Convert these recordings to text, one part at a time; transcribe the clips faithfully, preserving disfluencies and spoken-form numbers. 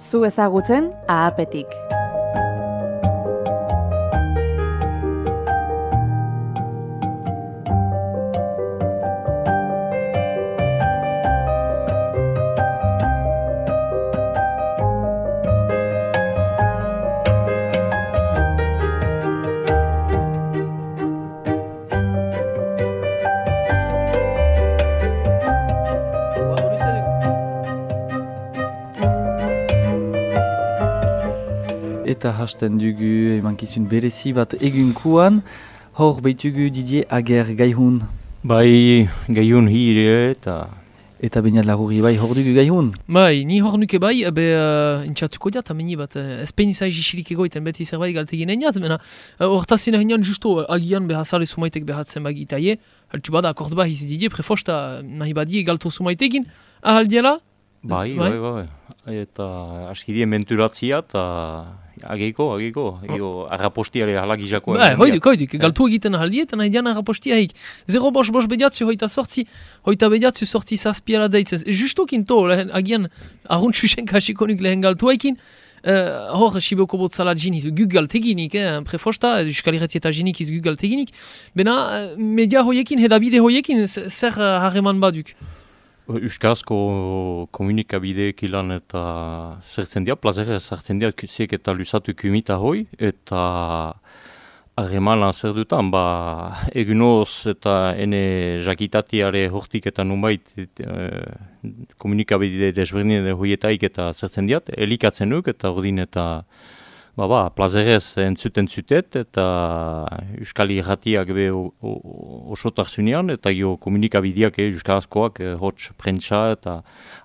Zu ezagutzen ahapetik. Eta hasten dugu emankizun berezi bat egunkuan, hor behitugu Didier Ager gaihun. Bai, gaihun hire eta... Eta bainat lagurri bai hor dugu gaihun. Bai, ni hor nuke bai, ebe uh, intxatuko diat, ameni bat, uh, ezpen izai jisirik egoiten beti zerbait galtegin eniat, mena hortazin uh, eginan justo uh, agian behazale sumaitek behatzen bagitaie, haltu bada akord bahiz Didier prefosta nahi badie galto sumaitekin, ahaldiela? Bai, bai, bai, bai. Eta askidien menturatzia eta ageiko, ageiko, ageiko arrapostiare halagizako. Ba, hoiduk, hoiduk, galtu egiten ahaldie eta nahi dian arrapostia heik. Zero bos bos bediatzu hoita sortzi, hoita bediatzu sortzi zazpiara deitzen. Justokin to, lehen, agian aruntxusen kasikonik lehen galtu haikin, uh, hor Siboko botzala jiniz, guk galteginik, eh, prefosta, Euskaliretzi eta jinik iz guk galteginik, bena uh, media hoiekin, hedabide hoiekin, zer uh, harreman baduk. Euskarazko komunikabideek ilan eta zertzen dira, plazera zertzen dira ziek eta lusatu kumita hoi, eta harremana zer dutan, ba, egunoz eta ene jakitatiare hortik eta nunbait e, komunikabide desberdinen hoietaik eta zertzen dira, elikatzen nuk eta ordin eta Ba, ba, plazerez entzuten zutet eta Euskal Irratiak be osotak zunean eta jo komunikabideak e, Euskarazkoak, e, hots prentsa eta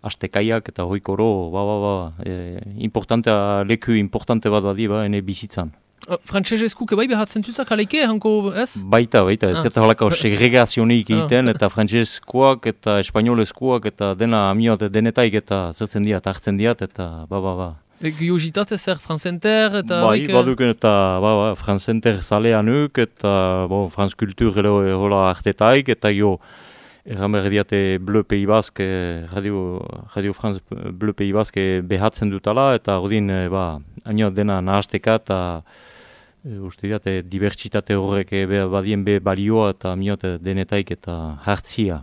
astekaiak eta hoikoro, ba, ba, ba, e, importantea, leku importante bat badi, ba, ene bizitzan. Uh, Frantsesezkuk bai behatzen zuzak aleike, hanko ez? Baita, baita, ez ah. Eta holako segregazionik egiten, eta frantsesezkoak eta espainolezkoak eta dena amiot denetaik eta zertzen diat, hartzen diat, eta ba, ba, ba. Giozitate zer Franzenter eta... Bai, baduken eta ba, ba, Franzenter zaleanuk eta bon, Franz Kultur hola artetaik eta jo erramer diate Bleu Pays Basque, Radio, Radio France Bleu Pays Basque behatzen dutala eta ordin ba, aino dena nahasteka eta e, uste diate dibertsitate horrek be, badien be balioa eta miote denetaik eta hartzia.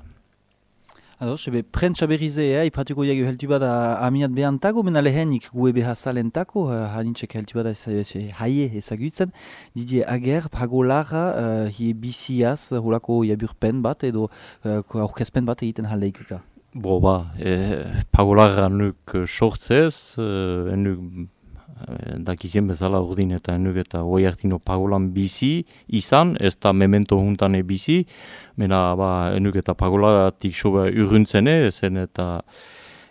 Ados, ebe prentsa berrize, eh, ipatuko jagu heltu bada amiat behantago, mena lehenik gue beha salentako, uh, hanintzek heltu bada haie ezagutzen. Didier Ager, pagolara, uh, hie bisiaz, holako jaburpen bat edo uh, aurkezpen bat egiten haldeikuka. Bo ba, eh, pagolara nuk sortzez, eh, nuk dakizien bezala urdin eta enuk eta hoi hartino pagolan bizi izan, ez da memento juntane bizi, mena ba, enuk eta pagolatik soba urruntzene, zen eta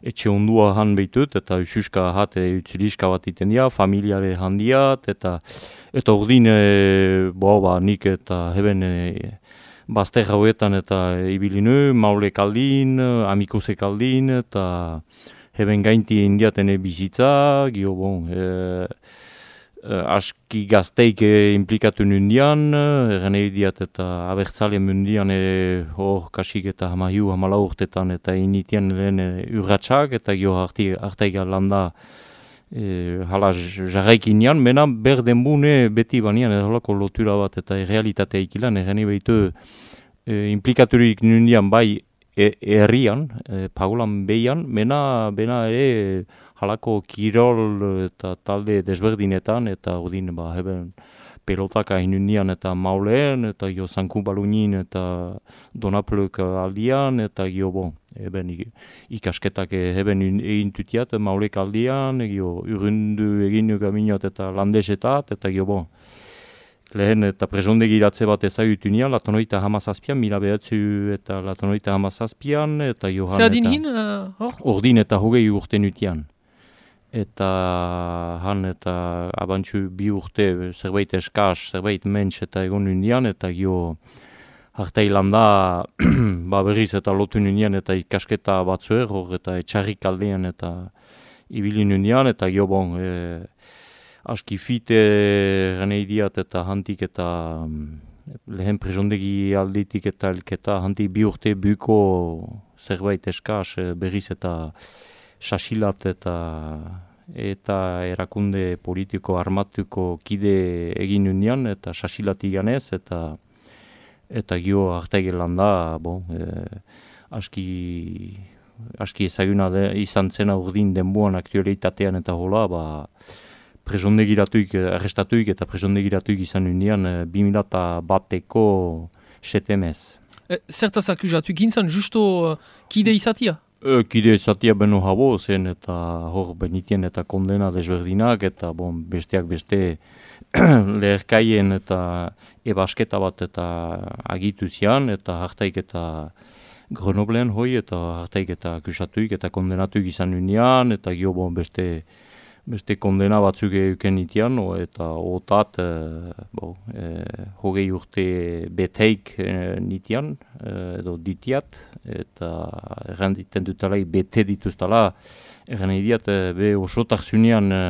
etxe ondua han behitut, eta ususka hate utziliska bat iten dia, familiare handiat, eta eta urdin, e, bo, ba, nik eta heben e, bazter hauetan eta ibilinu, maule kaldin, amikose kaldin, eta heben gainti indiatene bizitza, gio bon, e, e, aski gazteik e, implikatu nundian, erren diat eta abertzale mundian e, hor kasik eta hamahiu, hamala urtetan eta initian lehen e, urratxak, eta gio hartaik landa e, hala jarraikinean, mena berden bune beti banian, erholako lotura bat eta realitatea ikilan, erren behitu e, implikaturik nundian bai, herrian, e, pagolan behian, mena, bena ere halako kirol eta talde desberdinetan, eta ordin, ba, heben pelotaka inundian eta mauleen, eta jo zanku balunin eta donapluk aldian, eta jo, bon, heben ikasketak heben egin tutiat maulek aldian, jo urrundu egin gaminot eta landesetat, eta jo, bon, lehen eta presondegi iratze bat ezagutu nian, latonoita hamazazpian, mila behatzu eta latonoita hamazazpian, eta johan eta... Zer hin, uh, hor? Ordin eta hogei urte nutian. Eta han eta abantzu bi urte zerbait eskaz, zerbait mentz eta egon nunian, eta jo hartailanda ba berriz eta lotu nunian eta ikasketa batzuer, hor eta etxarrik aldean eta ibili nunian, eta jo bon... E, aski fite ganei diat eta hantik eta lehen presondegi alditik eta elketa hantik bi urte buko zerbait eskaz berriz eta sasilat eta eta erakunde politiko armatuko kide egin unian, eta sasilatik ganez, eta eta gio hartaigelan da, bon, e, aski, aski ezaguna de, izan zena urdin denboan aktualitatean eta hola, ba, presondegiratuik, arrestatuik eta presondegiratuik izan unian e, bi mila bateko setemez. E, zertaz akuzatu gintzen, justo uh, kide izatia? E, kide izatia beno habo zen, eta hor benitien eta kondena desberdinak, eta bon, besteak beste leherkaien eta ebasketa bat eta agitu zian, eta hartaik eta Grenobleen hoi, eta hartaik eta akusatuik eta kondenatuik izan unian, eta gio bon, beste beste kondena batzuk euken itian, o, eta otat e, bo, e, hogei urte beteik e, nitian, e, edo ditiat, eta erranditen dutala, bete dituztala, errandidiat e, be osotak zunean e,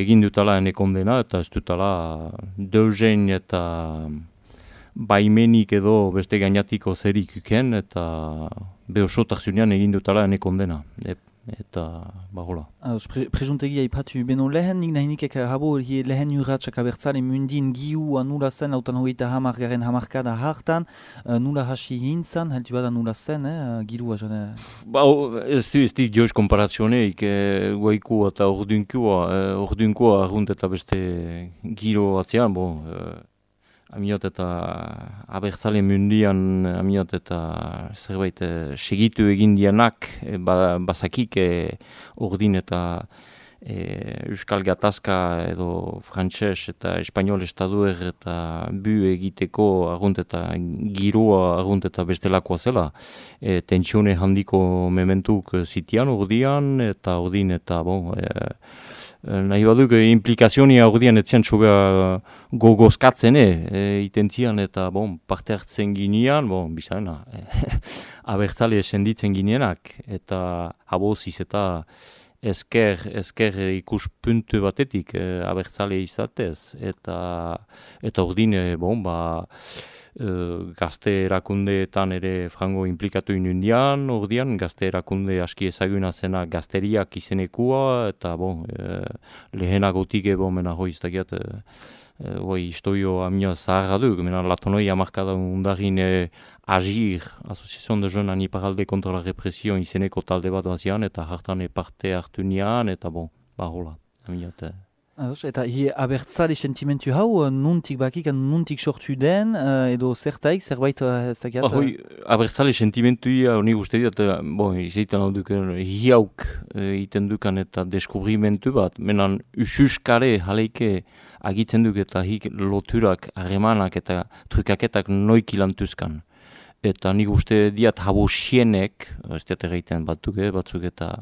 egin dutala ene kondena, eta ez dutala deuzein eta baimenik edo beste gainatiko zerik uken, eta be osotak zunean egin dutala ene kondena. E, eta bagola. Pre, Presuntegia ipatu beno lehen, nik nahinik eka habo lehen urratxak abertzale mundin giua nula zen, lautan hogeita hamar garen hamarkada hartan, uh, nula hasi hintzan, heltu bada nula zen, eh, girua jane? Ba, ez du, ez du joz komparazioneik, eh, guaiku eta ordunkua, eh, ordunkua arrunt eta beste giro atzean, bo, eh, amiot eta abertzale mundian, amiot eta zerbait e, segitu egin dianak, e, ba, bazakik e, ordin eta e, Euskal Gatazka edo frantses eta espanol estaduer eta bu egiteko argunt eta giroa argunt eta bestelakoa zela. E, tentsione handiko mementuk zitian ordian eta ordin eta bon, e, nahi baduk, implikazionia ordean etzian txobea gogozkatzen, e, itentzian eta bon, parte hartzen ginean, bon, bizarena, e, abertzale senditzen gineanak, eta haboziz eta esker, esker ikuspuntu batetik e, abertzale izatez, eta, eta ordine, bon, ba, Uh, gazte erakundeetan ere frango implikatu inundian, ordian, gazte erakunde aski ezaguna zena gazteriak izenekua, eta bon, e, lehenagotik ebo mena hoi iztakiat, e, e, hoi historio amia zaharra du, mena latonoi amarkada undarin e, Agir, Asociación de Jeunes Aniparalde kontra la Repression izeneko talde bat bazian, eta hartan parte hartu nian, eta bon, bahola, amiat. Ados, eta hi abertzale sentimentu hau, nuntik bakik, nuntik sortu den, uh, edo zertaik, zerbait uh, zakiat? Ba, hoi, abertzale sentimentu hau nik uste dut, bon, izaitan hau duken, hiauk iten dukan eta deskubrimentu bat, menan ususkare jaleike agitzen duk eta hik loturak, harremanak eta trukaketak noik ilantuzkan. Eta nik uste diat habosienek, ez diat erraiten batzuk, eh, batzuk eta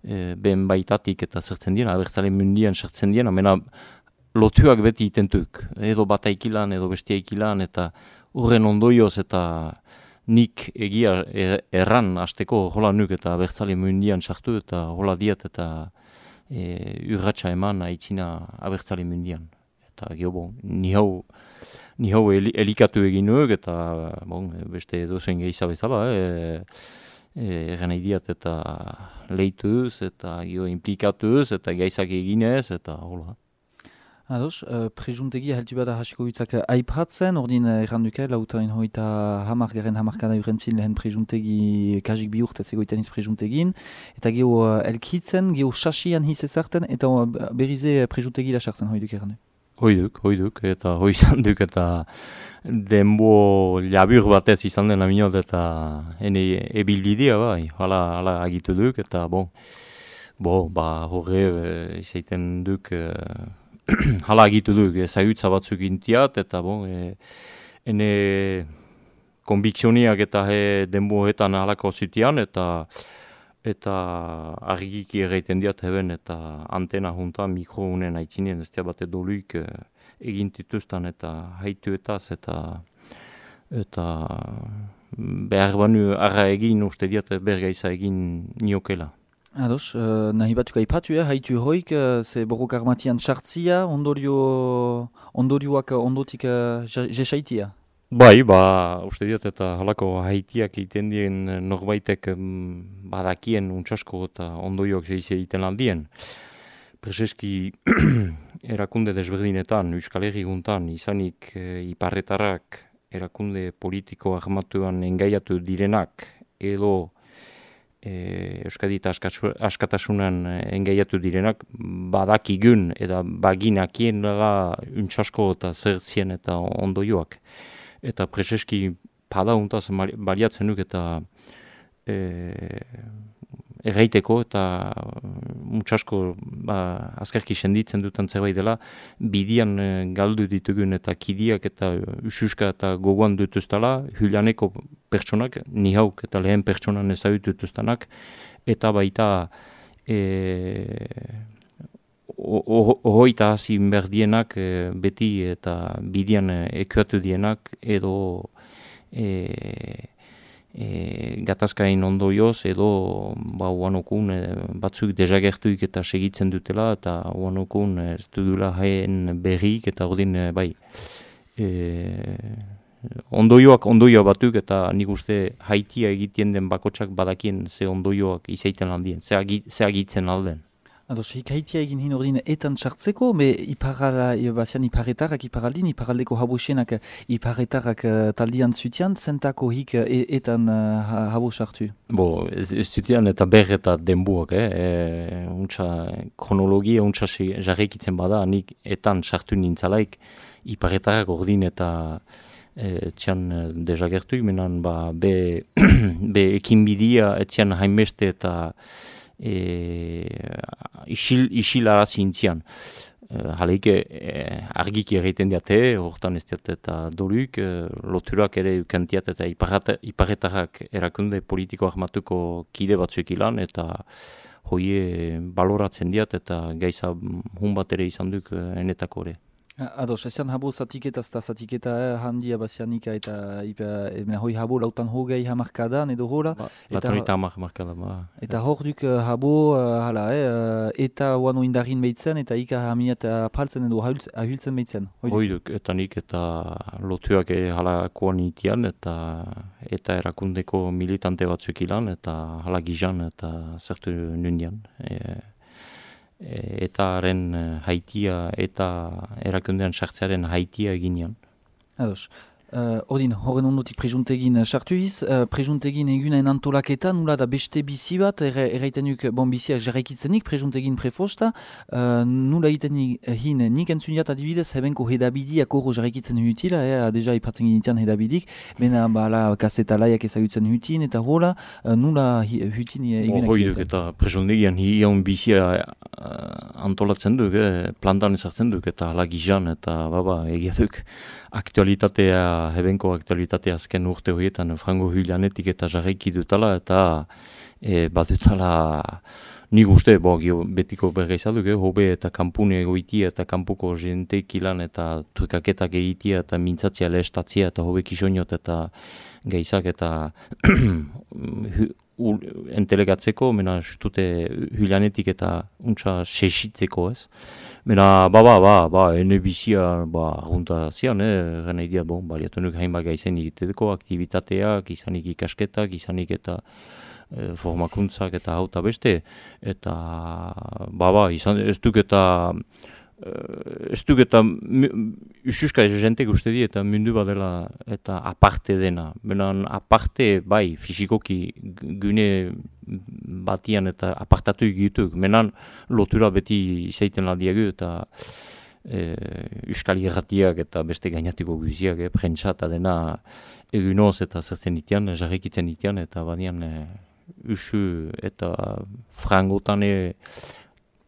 E, ben baitatik eta zertzen dien, abertzale mundian sartzen dien, amena lotuak beti itentuk, edo bataikilan, edo bestiaikilan, eta urren ondoioz eta nik egia er, erran hasteko hola nuk eta abertzale mundian sartu eta hola diat eta e, urratxa eman aitzina abertzale mundian. Eta geho, bon, ni hau, ni hau elikatu egin nuk eta bon, beste dozen gehiza bezala, e, Egan idiat eta lehituz eta gio implikatuz eta gaizak eginez eta hola. Ados, uh, presuntegia heltu bada hasiko bitzak aipatzen, ordin erranduke, lautain hoita hamar garen hamarkada urentzin lehen presuntegi kajik bi urtez egoiten iz presuntegin, eta geho uh, elkitzen, geho sasian hiz ezarten, eta uh, berrize presuntegi da sartzen hoiduk errandu. Hoiduk, hoiduk, eta hoi izan duk eta denbo labur batez izan den aminot eta ene ebilbidea bai, hala, hala agitu duk eta bon, bo, ba horre e, izaiten duk e, hala agitu duk, ezagutza batzuk intiat eta bon, e, ene konbikzioniak eta he denboetan halako zutian eta eta argiki erraiten diat heben eta antena juntan mikro unen haitzinien ez bate doluik e, egin dituztan eta haituetaz eta eta behar banu arra egin uste diat bergaiza egin niokela. Ados, uh, nahi batuk aipatu, eh, haitu hoik, uh, ze borrok armatian sartzia, ondorio, ondorioak ondotik uh, jesaitia. Bai, ba, uste diot eta halako haitiak egiten dien norbaitek mm, badakien untsasko eta ondoioak zeize egiten aldien. Prezeski erakunde desberdinetan, Euskal Herri guntan, izanik e, iparretarrak erakunde politiko armatuan engaiatu direnak edo e, Euskadi eta askatasunan engaiatu direnak badakigun eta baginakien dela untsasko eta zertzien eta ondoioak. Eta prezeski pada untaz baliatzen duk eta e, erraiteko eta mutxasko ba, azkarki senditzen dutan zerbait dela, bidian e, galdu ditugun eta kidiak eta ususka eta gogoan dutuztala, hulaneko pertsonak, nihauk eta lehen pertsonan ezagutu dutuztanak, eta baita e, ohoita hasi berdienak e, beti eta bidian e, ekuatu dienak edo e, E, gatazkain ondoioz edo ba, uanokun e, batzuk desagertuik eta segitzen dutela eta uanokun ez dudula haien berrik eta ordin e, bai e, ondoioak ondoioa batuk eta nik uste haitia egiten den bakotsak badakien ze ondoioak izaiten aldien, ze, agi, ze agitzen alden. Ados, hikaitia egin hin ordin etan sartzeko, me iparala, bazian iparretarrak, iparaldin, iparaldeko habosienak iparretarrak uh, taldian zutian, zentako hik uh, etan uh, habo sartu? Bo, ez, ez zutian eta ber eta denbuak, eh? E, untsa, kronologia untsa jarrekitzen bada, nik etan sartu nintzalaik, iparretarrak ordin eta e, txan desagertuik, menan ba, be, be ekinbidia, etzian hainbeste eta E, isil, isilaraz intzian. E, Haleike e, argiki egiten diate, hortan ez diat eta doruk, e, loturak ere ukantiat eta iparretarrak erakunde politiko armatuko kide batzuek ilan, eta hoie baloratzen diat eta gaiza hun bat ere izan duk enetako ere. Ados, ezean habo zatiketa, zta zatiketa eh, handia bazianika eta ipa, e, hoi habo lautan hogei hamarkadan edo hola. Ba, Latonita hamar hamarkadan, ba. Eta hor duk uh, habo, uh, hala, eh, eta uano indarin behitzen, eta ika hamiat apaltzen edo ahultzen behitzen. Hoi duk, eta nik eta lotuak ere halakoan itian, eta eta erakundeko militante batzuk ilan, eta hala gizan, eta zertu nundian. E, eta haren haitia eta erakundean sartzearen haitia eginean. Ados. Uh, Ordin, horren ondotik prejuntegin sartu iz, uh, prejuntegin egunaen antolaketan, nula da beste bizi bat, erraiten duk, bon biziak jarraikitzenik, prejuntegin prefosta, uh, nula egiten hin, nik entzuniat adibidez, hebenko hedabidiak horro jarraikitzen hutila, eh, deja ipatzen ginitian hedabidik, bena bala kasetalaiak ezagutzen hutin, eta hola, uh, nula hutin egunak. Hoi duk, eta prejuntegian hion bizia uh, antolatzen duk, eh, plantan ezartzen duk, eta hala gizan, eta baba, egia duk, aktualitatea, hebenko aktualitatea azken urte horietan frango hylanetik eta jarraiki dutala eta e, bat dutala nik uste, bo, betiko bergaizaduk, eh, hobe eta kampune egoitia eta kampuko jenteik ilan eta trukaketak egitia eta mintzatzia lehestatzia eta hobe kisoniot eta gaizak eta entelegatzeko, mena justute hylanetik eta untsa sesitzeko ez. Mena, ba, ba, ba, ba, ene bizia, ba, argunta zian, eh, gana idia, bon, baliatu nuk hainbat gaizen egiteko, aktivitateak, izanik ikasketak, izanik eta e, formakuntzak eta hau eta beste, eta, ba, ba, izan, ez duk eta, ez duk eta, ususka jentek uste di, eta mundu badela, eta aparte dena, benan aparte, bai, fizikoki gune batian eta apartatu egituk, menan lotura beti izaiten ladiagu eta e, Euskal Irratiak eta beste gainatiko guziak, eh, prentsa eta dena egunoz eta zertzen itian, jarrikitzen itian, eta badian e, usu eta frangotan e,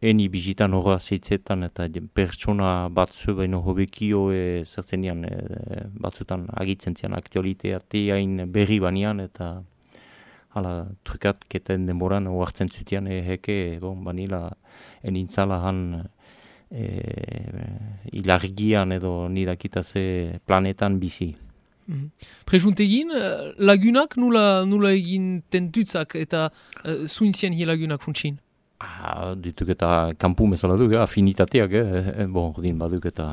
eni bizitan horra zeitzetan eta pertsona batzu baino hobekio e, zertzen dian e, batzutan agitzen zian aktualitateain berri banian eta hala trukatketen denboran oartzen zutian eheke, bon, banila enintzala han e, ilargian edo nidakitaze planetan bizi. Mm. Prejuntegin, lagunak nula, nula egin tentutzak eta uh, zuintzien hi lagunak funtsin? Ah, dituk eta kanpu bezala duk, afinitateak, eh? Bon, ordin baduk eta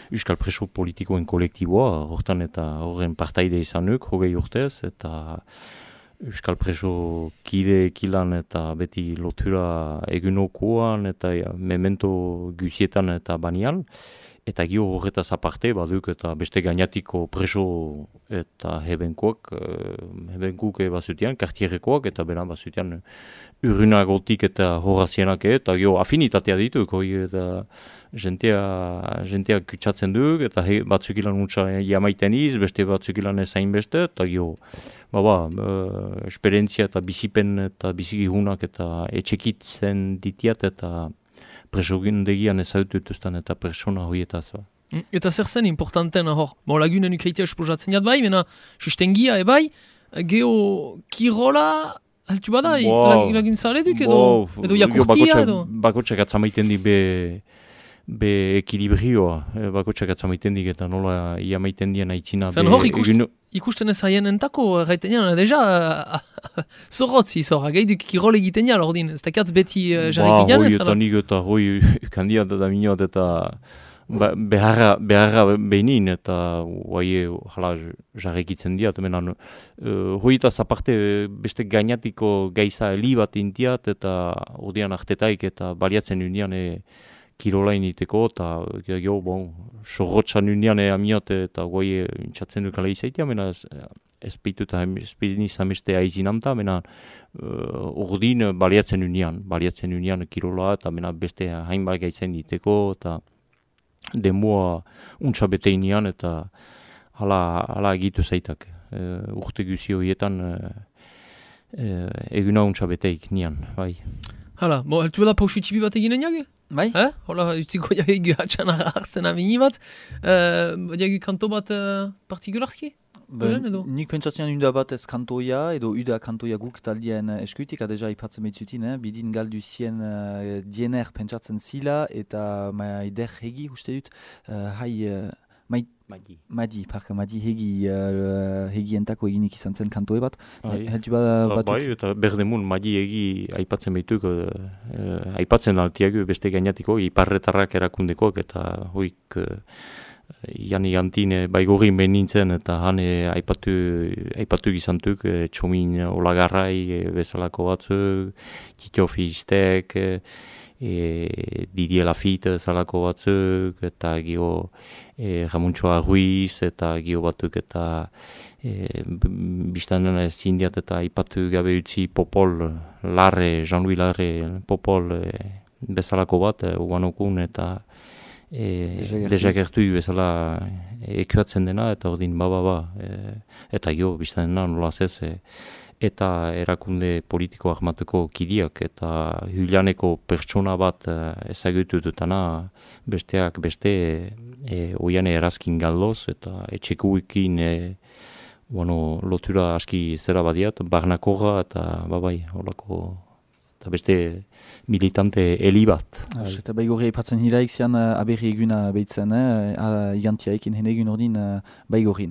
Euskal Preso politikoen kolektiboa, hortan eta horren partaide izanuk, hogei urtez, eta Euskal Preso kide ekilan eta beti lotura egunokoan eta ja, memento guzietan eta banian. Eta gio horretaz aparte baduk eta beste gainatiko preso eta hebenkoak, hebenkuk bazutian, kartierekoak eta bera bazutian urrunagotik eta horazienak eta gio afinitatea dituk, hoi eta jentea, jentea kutsatzen duk eta he, batzuk ilan untsa jamaiten iz, beste batzuk ilan ezain beste, eta gio, baba, uh, esperientzia eta bizipen eta bizigihunak eta etxekitzen ditiat eta presogundegian ezagututuztan eta persona horietaz. Eta zer zen importanten hor, bon, lagunen ukaitea esposatzen jat bai, mena sustengia ebai, geho kirola, haltu bada, wow. Lagin zaretuk edo, wow. Edo jakurtia edo? Bakotxak atzamaiten di be, be ekilibrioa, bakotxak atzamaiten dik eta nola iamaiten dien aitzina. Zan hor ikust, egin... ikusten ez haien entako, gaiten jana, deja, zorrotzi zorra, gaiduk kirol egiten jala, ordin, ez dakat beti jarrekin jana ez? Ba, hoi eta nik eta hoi kandidat eta minot eta beharra, beharra behinin eta hoi jala jarrekitzen diat, menan uh, hoi eta zaparte beste gainatiko gaiza heli bat intiat eta ordean artetaik eta baliatzen unian e, kirolain iteko, eta jo, bon, sorrotxan unian amiot eta goi intxatzen dukala izaitia, mena ez, ez peitu eta ez peitu izameste aizinamta, mena uh, ordin baliatzen unian, baliatzen unian kirola, eta mena beste hainbat gaitzen iteko, eta demua untsa beteinean, eta hala, hala egitu zaitak. Uh, urte guzi horietan uh, uh, eguna untsa beteik nian, bai. Hala, bo, heltu bela pausu txipi bat eginen jage? Bai? Eh? Hola, utziko jagegu hatxan hartzen amini bat. Uh, jagegu kanto bat uh, partikularski? Ben, nik pentsatzen uda bat ez kantoia, edo uda kantoia guk taldien eskuitik, adeja ipatzen behitzutin, eh? Bidin galdu zien uh, diener pentsatzen zila, eta maider hegi, uste dut, uh, hai... Uh, mai, Madi. Madi, parka, Madi hegi, uh, hegi entako eginik izan zen kantoe bat. Heltu bat... Bai, eta berdemun Madi hegi aipatzen behituk, uh, aipatzen altiago beste gainatiko, iparretarrak erakundekoak, eta hoik... Uh, Jani Antine baigorin behin nintzen eta han e, aipatu, aipatu gizantuk e, txomin olagarrai e, bezalako batzuk, Tito Fistek, e, e, Didier Lafitte bezalako batzuk, eta gio e, Ramuntxoa Ruiz, eta gio batuk eta e, biztanen zindiat eta aipatu gabe utzi Popol, Larre, Jean-Louis Larre, Popol e, bezalako bat, e, uganokun eta E, dezagertu bezala ekuatzen dena eta ordin ba ba ba e, eta jo biztan dena nola zez e, eta erakunde politiko ahmatuko kidiak eta Julianeko pertsona bat e, ezagutu dutana besteak beste e, oiane erazkin galdoz eta etxekuekin e, bueno, lotura aski zera badiat, barnakorra eta babai holako eta beste militante heli bat. As, eta baigorri aipatzen hiraik zian uh, aberri eguna behitzen, eh? uh, Igantiaikin hen egun ordin uh, baigorrin.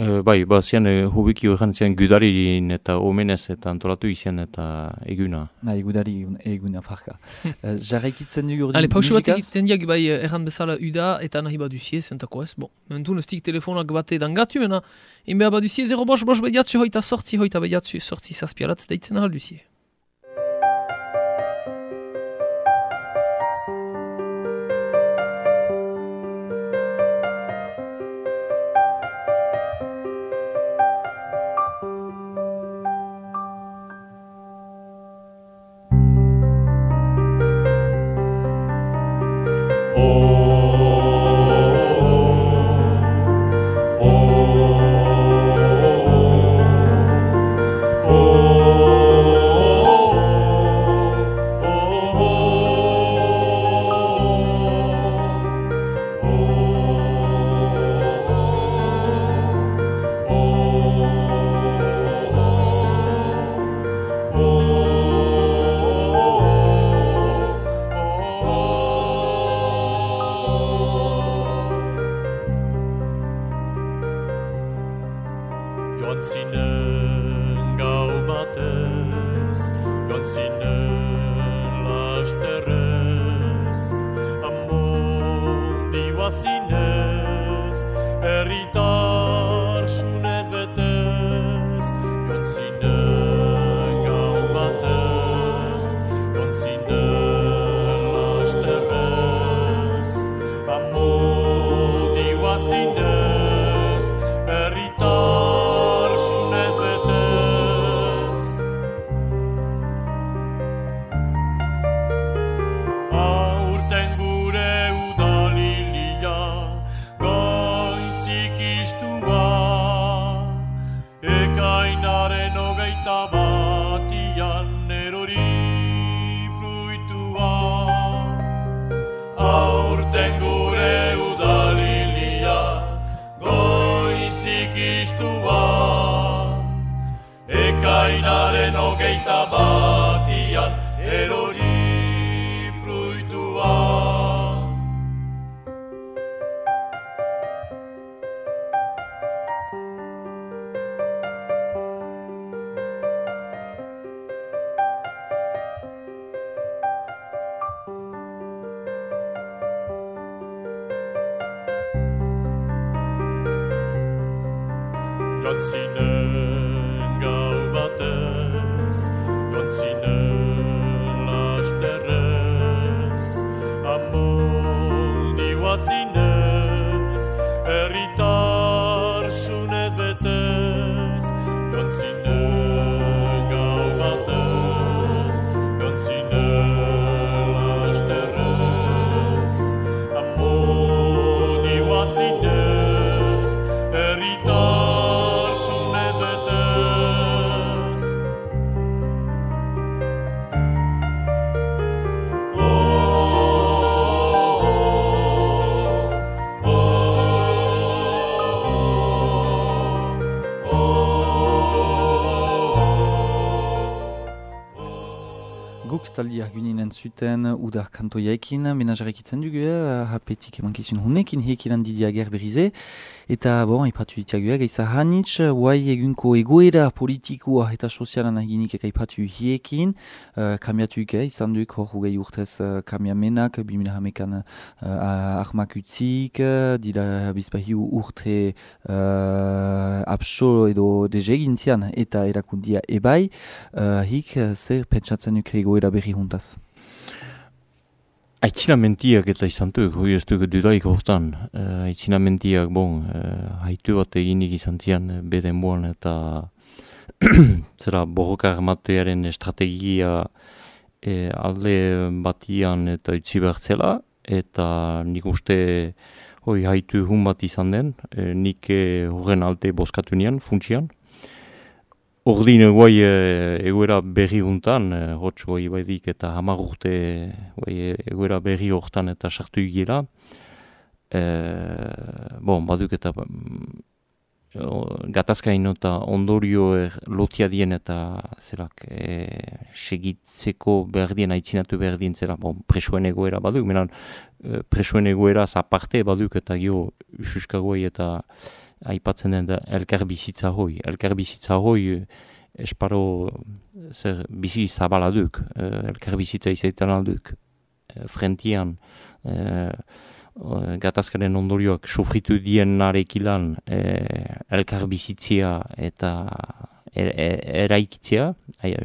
Uh, bai, ba zian uh, hubiki horren zian gudarin eta omenez eta antolatu izan eta eguna. Na, gudari eguna parka. uh, Jarraikitzen dugu ordin musikaz? Ale, pausu bat egiten diak bai erran bezala uda eta nahi baduzie, zentako ez. Bon, mentun estik telefonak bate dangatu, mena, inbea baduzie, zero bos bos bediatzu hoita sortzi, hoita bediatzu sortzi zazpiarat, deitzen ahalduzie. Joan zinen gau batez, joan zinen hogeita batian erori fruitua. Aurten gure udalilia goizik istua. Ekainaren hogeita batian erori fruitua. Jontzinen gau batez, jontzinen lasterrez, amoldiua zinez, herritar sunez betez. Jontzinen gau batez, jontzinen lasterrez, amoldiua zinez, herritar taldiak guninen zuten udar kantoiaekin, menajarekitzen dugu, hapetik emankizun hunekin hekilan Didier Aguer berrize, eta bon, ipatu ditiagua gaiza hanitz, guai egunko egoera politikoa eta sozialan aginik eka ipatu hiekin, uh, kamiatuik eh, izan duk hor hugei urtez uh, kamiamenak, bimila hamekan uh, ahmak utzik, dira bizpahiu urte uh, apso edo dezegintian eta erakundia ebai, uh, hik zer pentsatzen duk egoera berri juntaz. Aitzinamentiak eta izan duk, hoi ez duk dudaik hortan. Uh, Aitzinamentiak, bon, uh, haitu bat eginik izan zian beden boan eta zera borroka armatearen estrategia e, alde batian eta utzi bertzela, eta nik uste hoi haitu hun bat izan den, e, nik horren alte boskatu nian, funtsian. Ordin guai egoera berri juntan, hotz guai baidik eta hamar urte guai egoera berri hortan eta sartu igela. E, bon, baduk eta gatazkain eta ondorio er, lotia dien eta zerak e, segitzeko behar dien, aitzinatu behar dien zera, bon, presoen egoera baduk, menan presoen egoera aparte baduk eta gio ususkagoai eta aipatzen den da elkar bizitza hoi. Elkar bizitza hoi esparo zer bizi zabala duk, elkar bizitza izaitan alduk. Frentian e, gatazkaren ondorioak sufritu dien narekilan e, elkar bizitzia eta er, er, eraikitzea,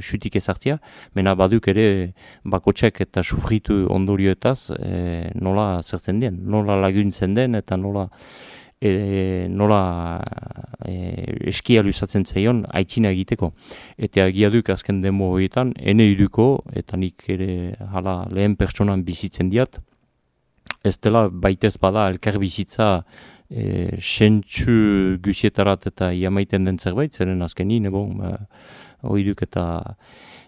xutik ezartzea, mena baduk ere bakotxek eta sufritu ondorioetaz e, nola zertzen den, nola laguntzen den eta nola E, nola e, eskia luzatzen zaion aitzina egiteko. Eta agia duk azken demo horietan, ene iruko, eta nik ere hala lehen pertsonan bizitzen diat, ez dela baitez bada elkar bizitza e, sentsu guzietarat eta iamaiten den zerbait, zeren azkenin, bon, hori duk eta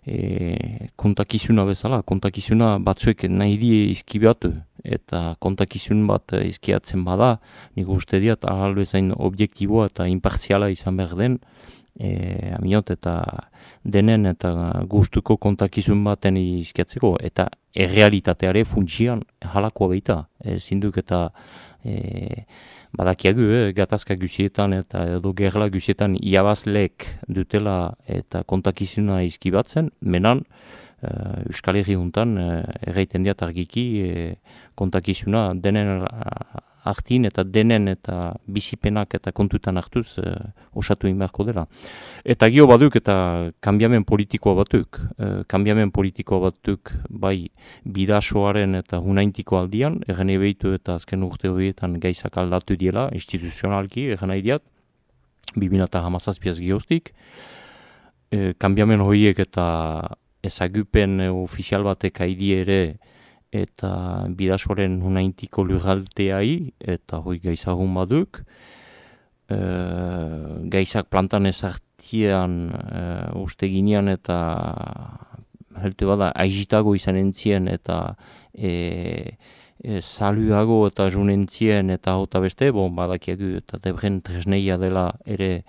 e, kontakizuna bezala, kontakizuna batzuek nahi die izkibeatu, eta kontakizun bat izkiatzen bada, nik uste diat, ahal bezain objektiboa eta imparziala izan behar den, e, aminot, eta denen eta gustuko kontakizun baten izkiatzeko, eta errealitateare funtsian halakoa baita, e, zinduk eta e, badakiagu, eh, gatazka guzietan eta edo gerla guzietan iabazleek dutela eta kontakizuna izkibatzen, menan, Uh, Euskal Herri juntan uh, erraiten diat argiki uh, kontakizuna denen hartin eta denen eta bizipenak eta kontutan hartuz uh, osatu inberko dela. Eta gio baduk eta kanbiamen politikoa batuk, uh, kanbiamen politikoa batuk bai bidasoaren eta hunaintiko aldian, erren ebeitu eta azken urte horietan gaizak aldatu diela, instituzionalki erren nahi diat, bibina eta hamazazpiaz gioztik, uh, kanbiamen horiek eta ezagupen ofizial batek haidi ere eta bidasoaren hunaintiko lurraldeai eta hoi gaizagun baduk. E, gaizak plantan ezart, tian uh, uste ginean eta heltu bada aizitago izan entzien eta e, e, saluago eta junentzien eta hota beste, bon, badakiagu eta debren tresneia dela ere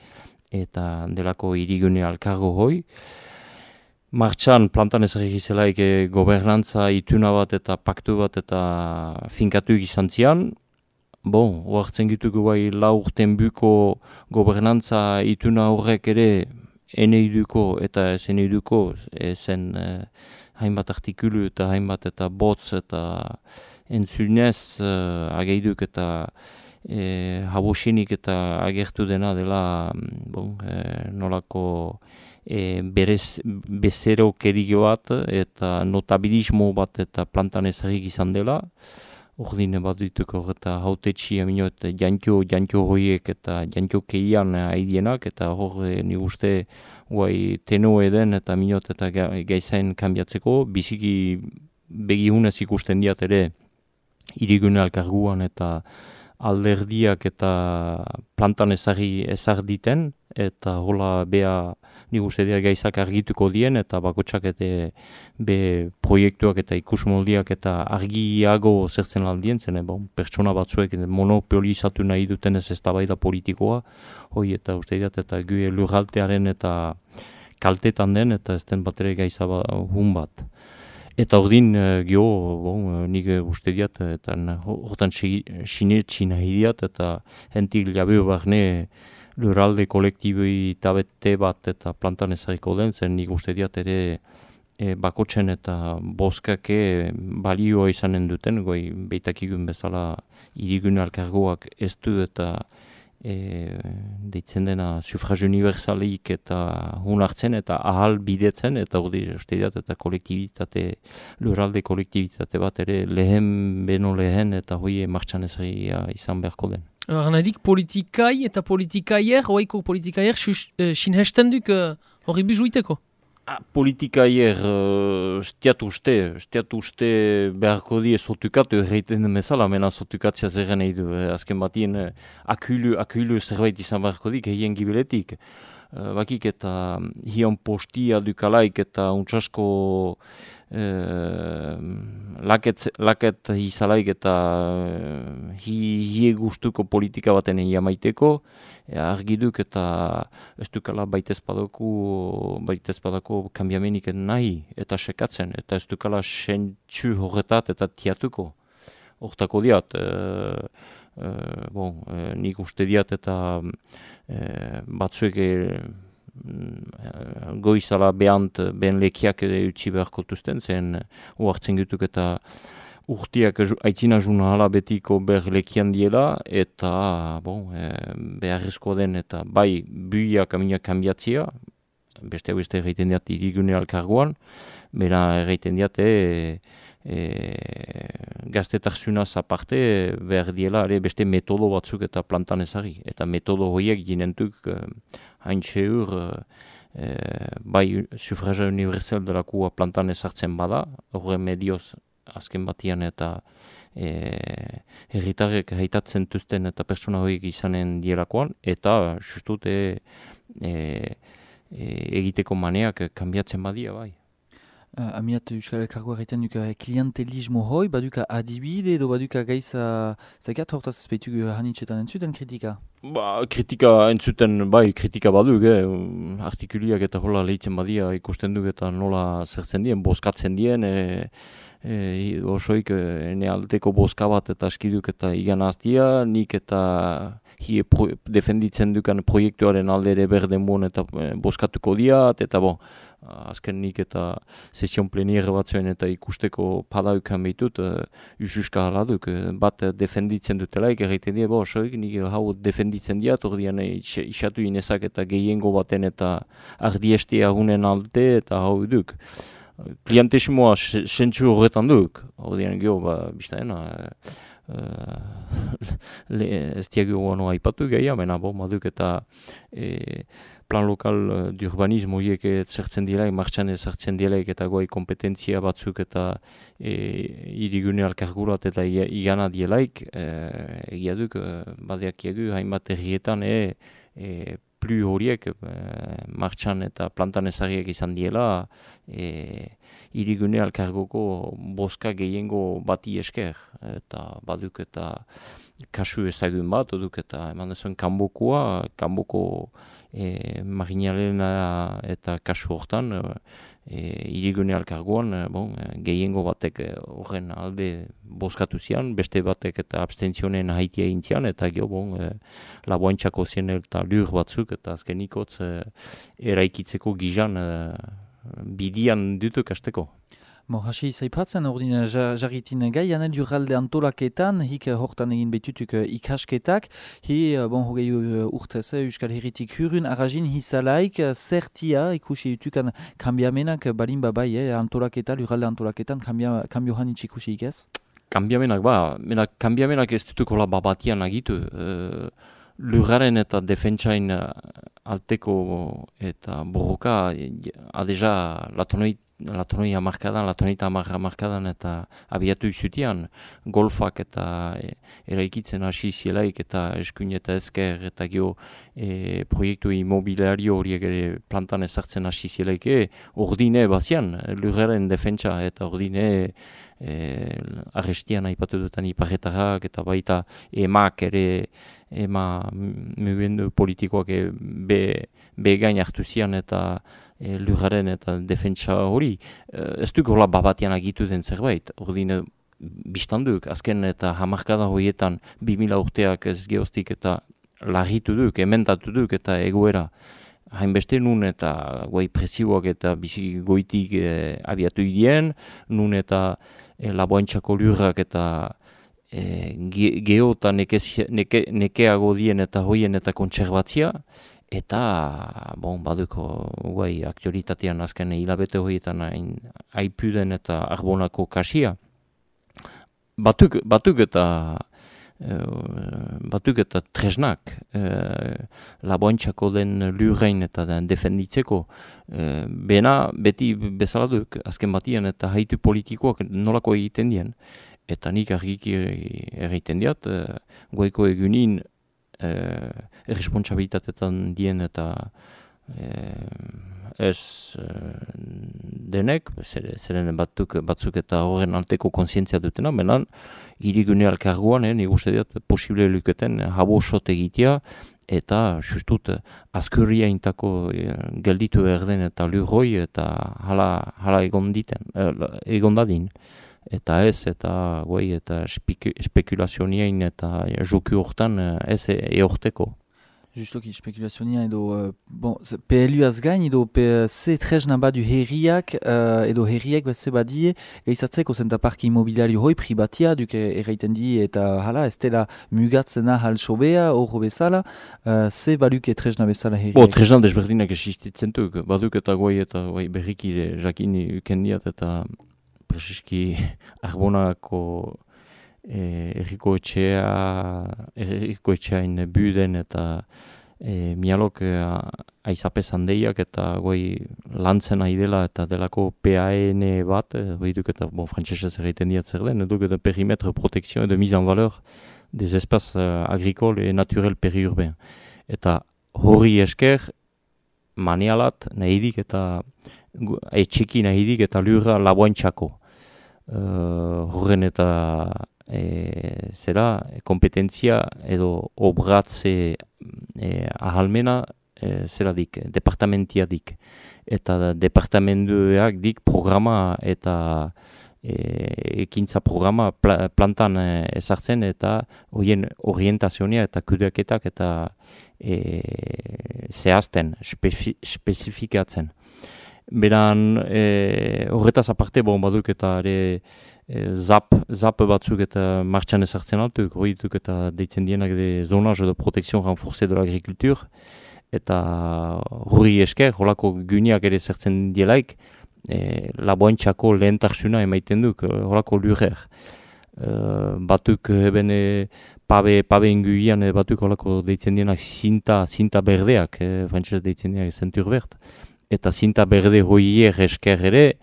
eta delako irigune alkargo hoi. Martxan plantan ez egizelaik e, gobernantza ituna bat eta paktu bat eta finkatu izan zian. Bon, oartzen gituko bai lau urten buko gobernantza ituna horrek ere eneiduko eta ez eneiduko zen eh, hainbat artikulu eta hainbat eta botz eta entzunez eh, ageiduk eta eh, habosinik eta agertu dena dela bon, eh, nolako eh, berez bezero kerige bat eta notabilismo bat eta plantan ezarik izan dela. Ordine bat dituko eta hautetxi amino eta jantio, jantio horiek eta jantio keian haidienak eta hor ni uste guai teno eden eta minot eta gaizain kanbiatzeko biziki begihunez ikusten diat ere irigune alkarguan eta alderdiak eta plantan ezarri ezar diten eta hola bea nik uste dira gaizak argituko dien eta bakotsak eta be proiektuak eta ikusmoldiak eta argiago zertzen aldien zen, bon, pertsona batzuek monopolizatu nahi duten ez eztabaida politikoa, hoi eta uste dira eta gu lurraltearen eta kaltetan den eta ez den bat ere gaiza ba, hun bat. Eta ordin gio, bon, nik uste diat, eta hortan sinetxi nahi diat, eta hentik labeo barne lurralde kolektibi tabete bat eta plantan ezariko den, zen nik uste diat ere e, bakotzen eta boskake balioa izanen duten, goi beitakigun bezala irigune alkargoak ez du eta e, deitzen dena sufragio universalik eta hun hartzen eta ahal bidetzen, eta hori uste diat eta kolektibitate, lurralde kolektibitate bat ere lehen beno lehen eta hoi martxan ezaria izan beharko den. Arnadik politikai eta politikaier, oaiko politikaier, sinhesten duk hori bizuiteko? Ah, politikaier, uh, stiatu uste, stiatu uste beharko die sotukatu erreiten den bezala, mena sotukatzea zerren nahi du. Eh, azken batien eh, akulu, akulu zerbait izan beharko dik, hien gibeletik. Uh, bakik eta hion postia dukalaik eta untsasko uh, laket, laket izalaik eta uh, hi, hie gustuko politika baten jamaiteko, argiduk eta ez dukala baitez badako, baitez badako kambiamenik nahi eta sekatzen, eta ez dukala sentsu horretat eta tiatuko. Hortako diat, e, e, bon, e, nik uste diat eta e, batzuek e, goizala behant behen lekiak utzi beharko tuzten, zen uartzen gutuk eta urtiak aitzina juna hala betiko ber lekian diela, eta bon, e, beharrezko den eta bai buiak aminak kanbiatzia, beste hau beste egiten diat irigune alkargoan, bera egiten diat e, e, gaztetarzunaz aparte behar diela ere beste metodo batzuk eta plantan ezari, eta metodo horiek ginentuk e, hain txeur e, bai sufragia universal delakua plantan ezartzen bada, horre medioz azken batian eta e, herritarrek haitatzen tuzten eta persona horiek izanen dielakoan, eta justut e, e, e, egiteko maneak kanbiatzen badia bai. Uh, Amiat Euskal Elkargoa egiten duka klientelismo hoi, baduka adibide edo baduka gaiza zakat hortaz espeitu hanitxetan entzuten kritika? Ba, kritika entzuten, bai, kritika baduk, eh? Artikuliak eta hola lehitzen badia ikusten duk eta nola zertzen dien, boskatzen dien, e, e, osoik ene alteko boska bat eta askiduk eta igan aztia, nik eta hi pro, defenditzen dukan proiektuaren alde ere berden bon eta e, boskatuko diat, eta bon, azken nik eta sesion pleniere batzuen eta ikusteko padaukan behitut, uh, ususka haladuk, uh, bat defenditzen dutelaik, egiten die, bo, soik, nik hau defenditzen diat, ordean isatu inezak eta gehiengo baten eta ardiestea hunen alde eta hau duk. Klientesimoa sentsu horretan duk, ordean geho, ba, biztaena, uh, ez diagio guano aipatu gehiago, mena, bo, maduk eta e, plan lokal de urbanismo horiek zertzen dielaik, martxan ezartzen dielaik eta goai kompetentzia batzuk eta e, irigune alkargurat eta igana dielaik, e, egia duk, badeak egu, hainbat herrietan e, e, plu horiek e, martxan eta plantan ezarriak izan diela, e, irigune alkargoko boska gehiengo bati esker, eta baduk eta kasu ezagun bat, duk eta eman dezuen kanbokoa, kanboko e, marinalena eta kasu hortan, e, irigune alkargoan, e, bon, gehiengo batek horren alde boskatu zian, beste batek eta abstentzionen haitia intzian, eta gero, bon, e, laboantxako zien eta lur batzuk, eta azkenikotz e, eraikitzeko gizan e, bidian dutuk hasteko. Mo, hasi zaipatzen ordin jarritin gai, janel jurralde antolaketan, hik hortan egin betutuk ikasketak, hi, bon, hogei urtez, Euskal Herritik hurun, arrazin hizalaik, zertia ikusi dutukan kambiamenak balin babai, eh, antolaketa, jurralde antolaketan, kambio hanitz ikusi ikez? Kambiamenak, ba, mena, kambiamenak ez dutuko la babatian agitu, e, lurraren eta defentsain alteko eta borroka, adeja latonoi latonoi hamarkadan, latoneita hamarkadan eta abiatu izutian, golfak eta e, eraikitzen hasi zielaik eta eskuin eta ezker eta gero e, proiektu immobiliario horiek ere plantan ezartzen hasi zielaik, e, ordine bazian, lurraren defentsa eta ordine e, arrestian aipatu dutan iparretarrak eta baita emak ere ema mugimendu politikoak e, be, be gain hartu zian eta E, lurraren eta defentsa hori, e, ez duk hola babatian agitu den zerbait, ordine biztanduk, azken eta hamarkada horietan bi mila urteak ez geostik eta larritu duk, emendatu duk eta egoera hainbeste nun eta guai presioak eta bizi goitik e, abiatu idien, nun eta e, laboantxako lurrak eta e, ge, geo eta neke, neke, nekeago dien eta hoien eta kontserbatzia, eta, bon, baduko guai aktualitatean azken hilabete horietan aipuden eta arbonako kasia. Batuk, batuk eta e, batuk eta tresnak e, laboantxako den lurrein eta den defenditzeko e, bena beti bezala duk azken batian eta haitu politikoak nolako egiten dien. Eta nik argiki egiten diat, e, guaiko egunin Eh, erresponsabilitatetan dien eta eh, ez eh, denek, zeren batzuk, batzuk eta horren alteko kontzientzia dutena, benan, irigune alkarguan, eh, nik uste diat, posible luketen habo sot egitea, eta justut azkurria intako eh, gelditu erden eta lurroi eta hala, hala egon diten, eh, egon dadin. Eta ez, eta guai, eta spekulazionien eta joku hortan ez eorteko. Justoki spekulazionia edo, uh, bon, P L U-az gain edo ze tresna badu herriak, uh, edo herriak ze badie, gaizatzeko zenta parki immobiliario hoi pribatia, duk erraiten di eta hala, ez dela mugatzena hal sobea, horro bezala, uh, ze baduk tresna bezala herriak? Bo, tresna desberdinak existitzen duk, baduk eta guai eta guai berriki jakini ukendiat eta preziski arbonako eh, erriko etxea, erriko etxeain buden eta eh, mialok eh, aizape zandeiak eta goi lantzen nahi dela eta delako P A N bat, eh, duk eta bon, frantzesez erraiten diat zer den, duk eta perimetre protection et de mise en valeur des espaces euh, agricoles et naturels périurbains. Eta horri esker manialat nahidik eta etxeki nahidik eta lurra laboantxako. Uh, horren eta e, zera, kompetentzia edo obratze e, ahalmena e, zera dik, departamentia dik. Eta departamentuak dik programa eta e, ekintza programa pla, plantan e, ezartzen eta horien orientazioa eta kudeaketak eta e, zehazten, spefi, spezifikatzen. Beran, e, horretaz aparte, bon, baduk eta ere e, zap, zap batzuk eta martxan ezartzen altuk, hori duk eta deitzen dienak de zonage de protection renforcée de l'agriculture, eta hori esker, holako gyniak ere zertzen dielaik, e, laboantxako lehentarsuna emaiten duk, holako lurrer. E, batuk eben e, pabe, pabe inguian e, batuk holako deitzen dienak zinta, zinta berdeak, e, frantzez deitzen dienak zentur bert. Eta zinta berde hoier esker ere,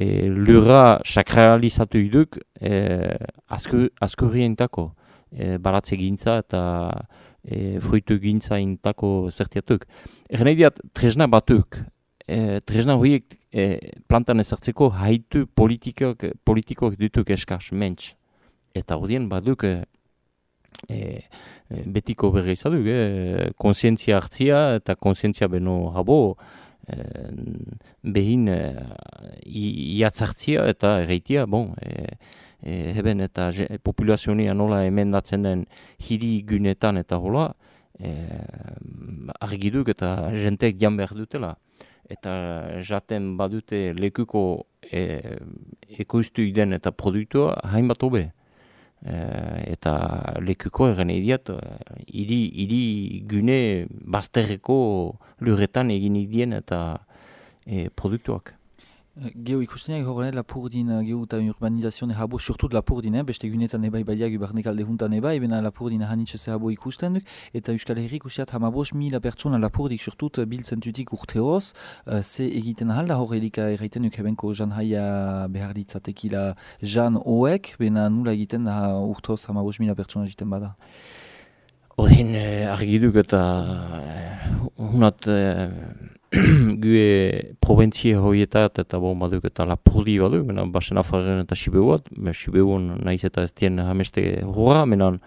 e, lurra sakralizatu iduk e, askurrientako. E, baratze gintza eta e, fruitu gintzaintako zertiatuk. Egen nahi diat, tresna batuk, e, tresna horiek e, plantan ezartzeko haitu politikok, politikok dituk eskaz, mentz. Eta hodien baduk e, e, betiko berri izaduk, e, konsientzia hartzia eta konsientzia beno habo, e, behin e, iatzartzia eta erreitia, bon, e, E, heben eta populazionia nola emendatzen den hiri gunetan eta hola, e, argiduk eta jentek jan behar dutela. Eta jaten badute lekuko e, ekoiztu den eta produktua hainbat hobe. E, eta lekuko eren idiat, hiri, hiri gune bazterreko lurretan egin idien eta e, produktuak. Geo ikustenak horren Lapurdin geo eta urbanizazione habo, surtut Lapurdin, eh? Beste gunetan ebai baiak ubarnek alde juntan ebai, bena Lapurdin hanitxese habo ikusten duk, eta Euskal Herrik usteat hamabos mila pertsona Lapurdik surtut biltzen tutik urteoz, uh, ze egiten halda horrelika erraiten duk hebenko jan haia behar ditzatekila jan hoek, bena nula egiten da urteoz hamabos mila pertsona egiten bada. Odin eh, argiduk eta eh, unat eh, gue proventzie horietat eta bon baduk eta Lapurdi baduk, menan basen afarren eta Sibeuat, Sibeuan nahiz eta ez dien hameste horra, menan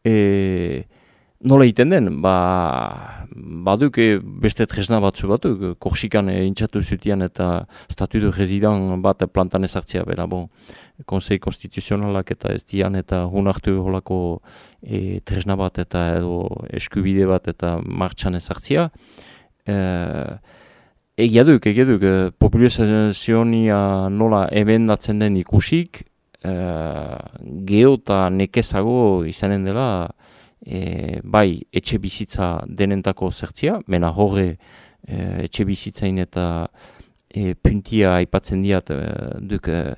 e, nola egiten den, ba, baduk e, beste tresna batzu batuk, Korsikan e, intxatu zutian eta statutu rezidan bat plantan ezartzea, bera bon, konsei konstituzionalak eta ez dian eta hunartu holako e, tresna bat eta edo eskubide bat eta martxan ezartzea. Uh, egia duk, egia duk, uh, populazionia nola emendatzen den ikusik, uh, geho eta nekezago izanen dela, e, bai etxe bizitza denentako zertzia, mena horre uh, etxe bizitzain eta e, puntia aipatzen diat uh, duk, uh,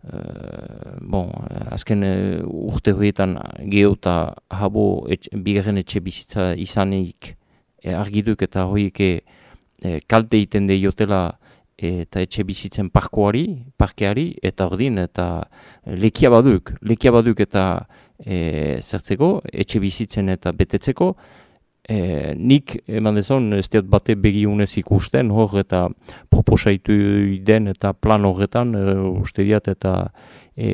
uh, bon, azken uh, urte horietan geho eta habo etxe, bigarren etxe bizitza izanik, E, argiduk eta horiek e, kalte egiten deiotela e, eta etxe bizitzen parkoari, parkeari, eta ordin, eta lekia baduk, lekia baduk eta e, zertzeko, etxe bizitzen eta betetzeko, e, nik eman dezon, ez diat bate begiunez ikusten, hor eta proposaitu den eta plan horretan, e, uste diat eta e,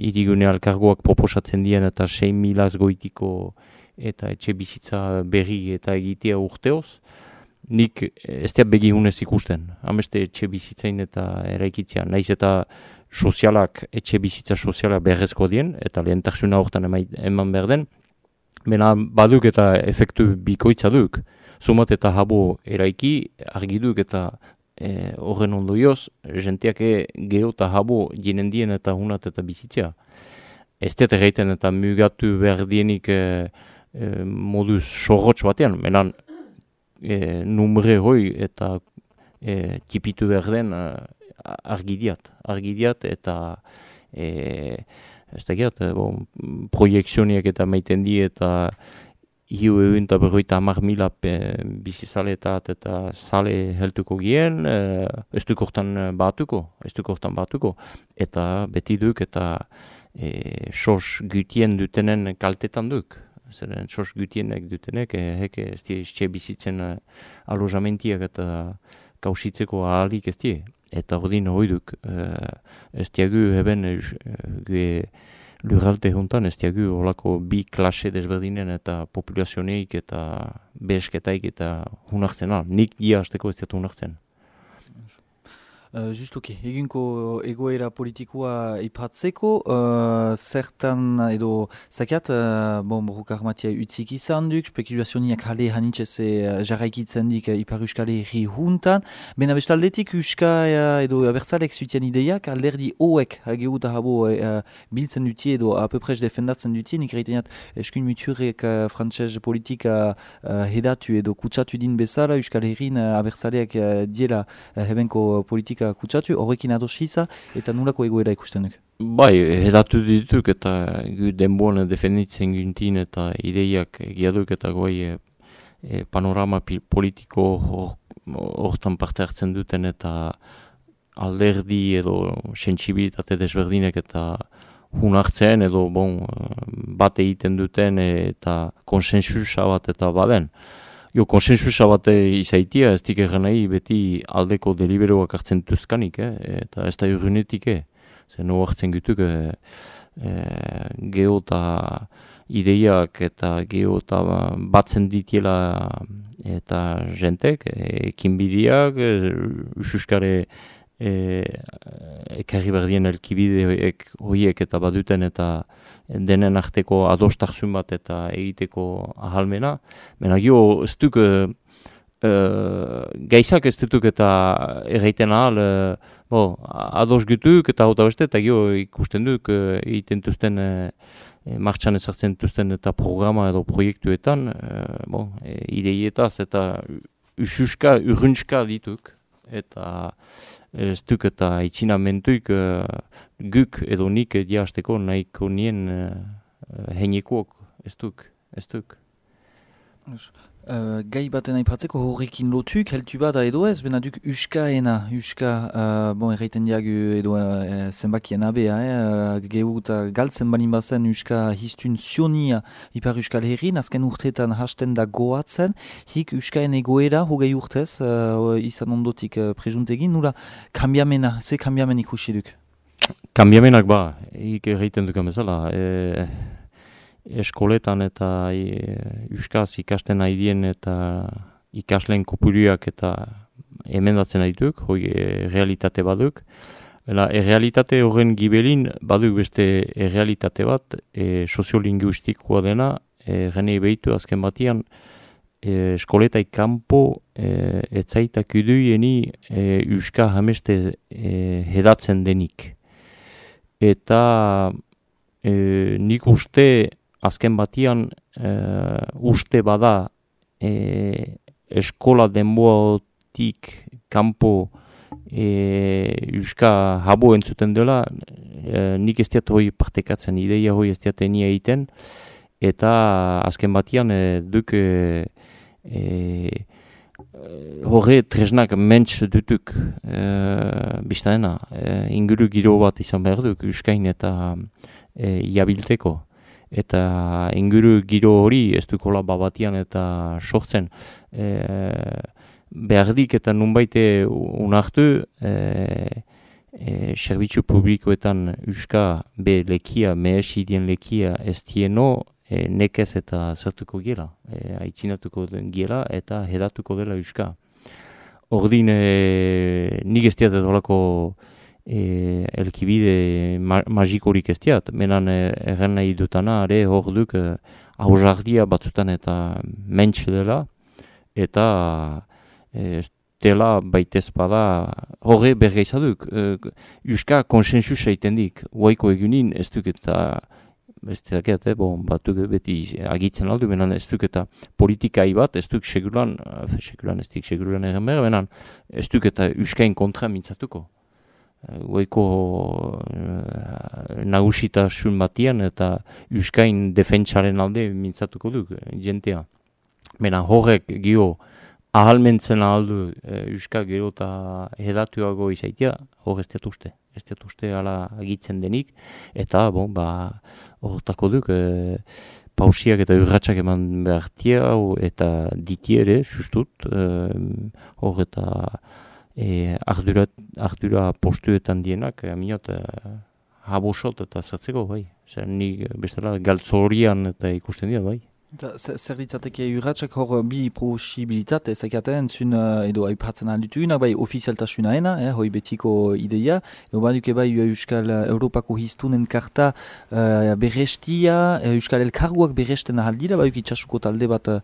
irigune alkargoak proposatzen dien eta sei milaz goitiko eta etxe bizitza berri eta egitea urteoz, nik ez da begi hunez ikusten. Hameste etxe bizitzain eta eraikitzean, nahiz eta sozialak, etxe bizitza sozialak beharrezko dien, eta lehentasuna horretan eman behar den, mena baduk eta efektu bikoitza duk. Zumat eta habo eraiki, argiduk eta e, horren ondoioz, jenteak geho eta habo jenen dien eta hunat eta bizitzea. Ez da erraiten eta mugatu behar dienik e, E, moduz sorrotx batean, menan e, numre hoi eta e, tipitu behar den e, argidiat, argidiat eta e, ez da gehat, e, bon, proiekzioniak eta maiten di eta hiu egun eta berroita hamar mila bizizaleetat eta sale heltuko gien, e, ez duk hortan batuko, ez duk hortan batuko, eta beti duk eta e, sos gutien dutenen kaltetan duk. Zeren sos gutienek dutenek, eh, heke ez die iztxe bizitzen uh, alojamentiak eta kausitzeko ahalik ez die. Eta ordin hoiduk, uh, ez diagu heben uh, gue lurralte juntan, ez diagu holako bi klase desberdinen eta populazioneik eta behesketaik eta hunartzen. Ah, nik dia hasteko ez diatu hunartzen. Uh, Justuki, eginko egoera politikoa ipatzeko, uh, zertan edo zakiat, uh, bon, boruk armatia utzik izan duk, spekulazioak hale hanitxeze uh, jarraikitzen dik uh, Ipar Euskal Herri juntan, bena bestaldetik Euskal edo abertzalek zuten ideiak, alderdi hoek hageu eta habo uh, biltzen dutie edo apepres defendatzen dutie, nik reiteniat eskun muturek uh, frantzez politika uh, hedatu edo kutsatu din bezala, Euskal Herrin uh, abertzaleak uh, diela uh, hebenko politika kutsatu, horrekin adosiza, eta nulako egoera ikusten duk? Bai, hedatu dituk eta gu denboan defenditzen gintin eta ideiak egiaduk eta goi e, e, panorama politiko hortan parte hartzen duten eta alderdi edo sentsibilitate desberdinek eta hunartzen edo bon, bat egiten duten eta konsensusa bat eta baden. Jo, konsensusa bat izaitia, ez dik egan nahi beti aldeko deliberoak hartzen duzkanik, eh? Eta ez da urrunetik, eh? Zer no hartzen gutuk, eh, eh, geho eta ideiak eta geho eta batzen ditiela eta jentek, ekin bidiak, ususkare e, ekarri berdien elkibide horiek eta baduten eta denen arteko adostarzun bat eta egiteko ahalmena. Mena gio, ez duk, e, e, gaizak ez duk eta erraiten ahal, e, bo, ados gutuk eta hota beste, eta gio ikusten duk e, egiten duzten e, martxan ezartzen duzten eta programa edo proiektuetan, e, bon, e, ideietaz eta ususka, urrunska dituk, eta ez duk eta itxinamentuik uh, guk edo nik diasteko nahiko nien uh, heinekoak, ez duk, ez duk. Uh, gai baten aipatzeko horrekin lotuk, heltu bada edo ez, bena duk uskaena, uska, uh, bon, erraiten diagu edo uh, zenbakien abea, eh, gehu eta galtzen balin bazen uska histun zionia ipar uskal herrin, azken urteetan hasten da goatzen, hik uskaen egoera hogei urtez, uh, izan ondotik uh, prejuntegin, nula kambiamena, ze kambiamen ikusi duk? Kambiamenak ba, hik erraiten dukan bezala, e... eskoletan eta e, euskaz ikasten haidien eta ikasleen kopuruak eta emendatzen haituk, hoi e, realitate baduk. Ela, errealitate horren gibelin baduk beste errealitate bat, e, soziolinguistikoa dena, e, genei behitu azken batian, e, eskoleta ikampo e, etzaitak uduieni e, euska hameste e, hedatzen denik. Eta e, nik uste azken batian uh, uste bada e, eskola denboatik kanpo e, euska habo entzuten dela, e, nik ez diat hoi partekatzen, ideia hoi ez diat enia egiten, eta azken batian e, duk e, e, horre tresnak mentz dutuk e, biztaena, e, inguru giro bat izan behar duk euskain eta e, iabilteko. Eta inguru giro hori ez dukola babatian eta sortzen e, behardik eta nunbaite unartu e, e, serbitzu publikoetan euska be lekia, mehesidien lekia ez dieno e, nekez eta zertuko gela, e, aitzinatuko den gela eta hedatuko dela euska. Ordin e, nik ez diat edolako E, elkibide ma magikorik ez diat, menan erren nahi dutana, are hor duk e, hausardia batzutan eta mentx dela, eta e, dela baitez bada horre bergeizaduk. E, Euska konsensus egiten dik, huaiko egunin ez duk eta ez dakiat, eh, bon, batuk beti agitzen aldu, menan ez duk eta politikai bat, ez duk seguran, seguran ez dik seguran erren behar, menan ez duk eta Euskain kontra mintzatuko. Goiko uh, nagusitasun batian eta euskain defentsaren alde mintzatuko duk jentea. Mena horrek gio ahalmentzen aldu uh, euska gero eta hedatuago izaitia, hor ez uste. Ez uste ala agitzen denik, eta bon, ba, horretako duk uh, pausiak eta urratsak eman behartia eta ditiere, justut, uh, hor eta E, ardura, ardura postuetan dienak, aminot, e, habosot eta zertzeko, bai. Zer, nik bestela galtzorian eta ikusten dira, bai. Zer ditzateke urratsak hor bi posibilitate ezakiaten zun edo aipatzen alditugunak, bai ofizialtasunaena, eh, hoi betiko ideia, edo baduke bai Euskal Europako Histunen karta uh, berrestia, Euskal Elkarguak berresten ahaldira, baduke itxasuko talde bat uh,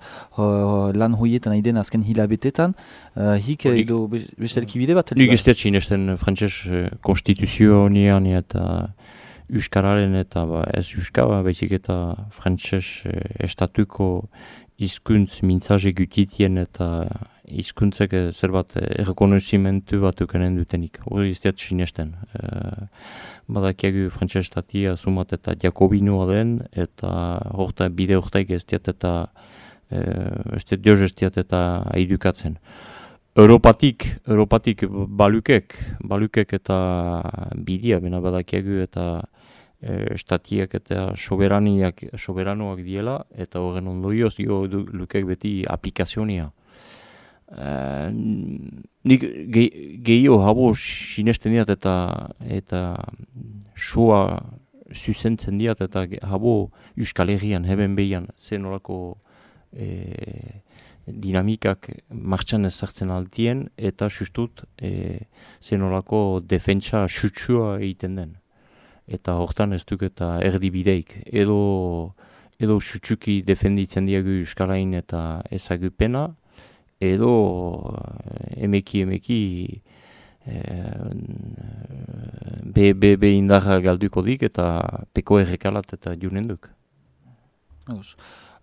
lan hoietan aiden azken hilabetetan, uh, hik edo bestelkibide bat? Nik ez dut sinesten frantses konstituzionian eta Euskararen eta ba, ez Euskara, baizik eta frantses eh, estatuko hizkuntz mintzaje gutitien eta hizkuntzek zerbat errekonozimentu bat ukanen dutenik. Hori ez diat sinesten. E, badakiagu frantses estatia sumat eta jakobinoa den, eta horta bide hortaik ez diat eta e, ez diat dioz ez diat eta aidukatzen. Europatik, Europatik balukek, balukek eta bidia, bena badakiagu eta e, estatiak eta soberaniak, soberanoak diela, eta horren ondorioz jo lukek beti aplikazionia. Uh, nik gehiago habo sinesten diat eta eta soa zuzentzen diat eta habo Euskal Herrian, heben behian, zen horako e, dinamikak martxan ezartzen altien eta justut e, zen horako defentsa sutsua egiten den. Eta hortan ez duk eta erdibideik. Edo, edo sutsuki defenditzen diagu Euskarain eta ezagupena, edo emeki emeki e, be, be, be indarra galduko dik eta peko errekalat eta junen duk.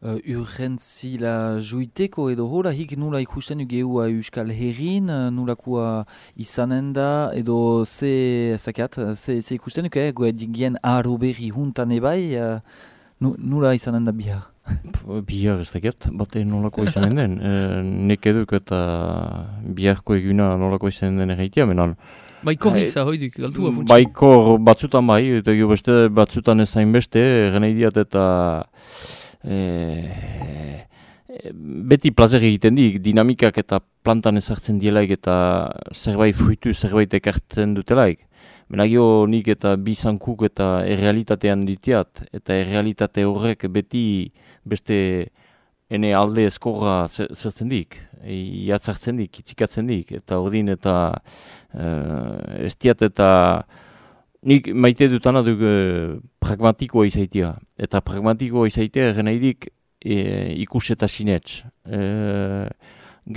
Uh, urgentzila juiteko edo hora hik nula ikusten geua Euskal Herrin, nulakoa izanen da edo ze zakat, ze, ze ikusten duke, goe digien aro berri huntan ebai, uh, nula izanen da bihar. Bihar ez dakit, bate nolako izanen den. E, nek eduk eta biharko eguna nolako izanen den erraitia, menan. Baikor iza, hoiduk, galtua funtsi. Baikor batzutan bai, eta jo beste batzutan ezain beste, gana idiat eta e, beti plazer egiten dik, dinamikak eta plantan ezartzen dielaik eta zerbait fruitu, zerbait ekartzen dutelaik. Menagio nik eta bizankuk eta errealitatean ditiat, eta errealitate horrek beti beste ene alde eskorra zertzen dik, jatzartzen dik, itzikatzen dik, eta ordin eta uh, ez diat eta nik maite dutana duk uh, pragmatikoa izaitia, eta pragmatikoa izaitia eren nahidik e, ikus eta sinets. E,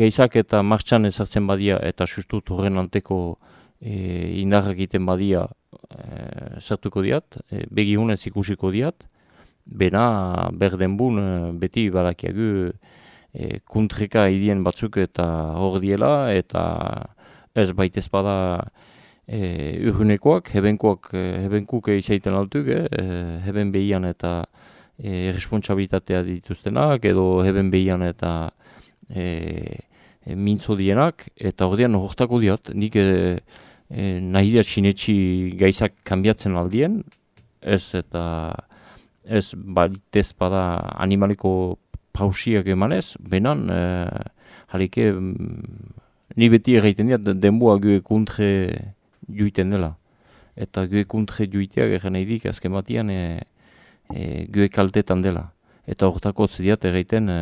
geizak eta martxan ezartzen badia, eta sustut horren anteko E, indarrak egiten badia e, sartuko diat, e, begihunez ikusiko diat, bena berdenbun e, beti badakiagu e, kuntreka idien batzuk eta hor diela, eta ez baitez bada e, urgunekoak, hebenkoak, hebenkuk izaiten altuk, e, heben behian eta e, responsabilitatea dituztenak, edo heben behian eta e, e, mintzo dienak, eta hor dian hortako diat, nik e, E, nahi diat sinetxi gaizak kanbiatzen aldien, ez eta ez baitez bada animaliko pausiak emanez, benan e, halike ni beti erraiten diat denboa gue kuntre juiten dela. Eta gue kuntre juiteak erren nahi dik azken batian e, e, gue kaltetan dela. Eta hortako zidiat erraiten e,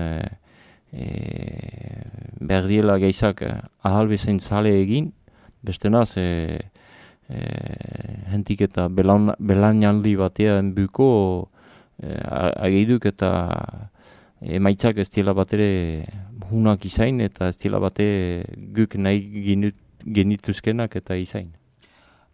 e, behar diela gaizak ahalbezain zale egin, bestenaz, e, e, hentik eta belainaldi batean buko e, ageiduk eta emaitzak ez diela batere hunak izain eta ez diela bate guk nahi genituzkenak eta izain.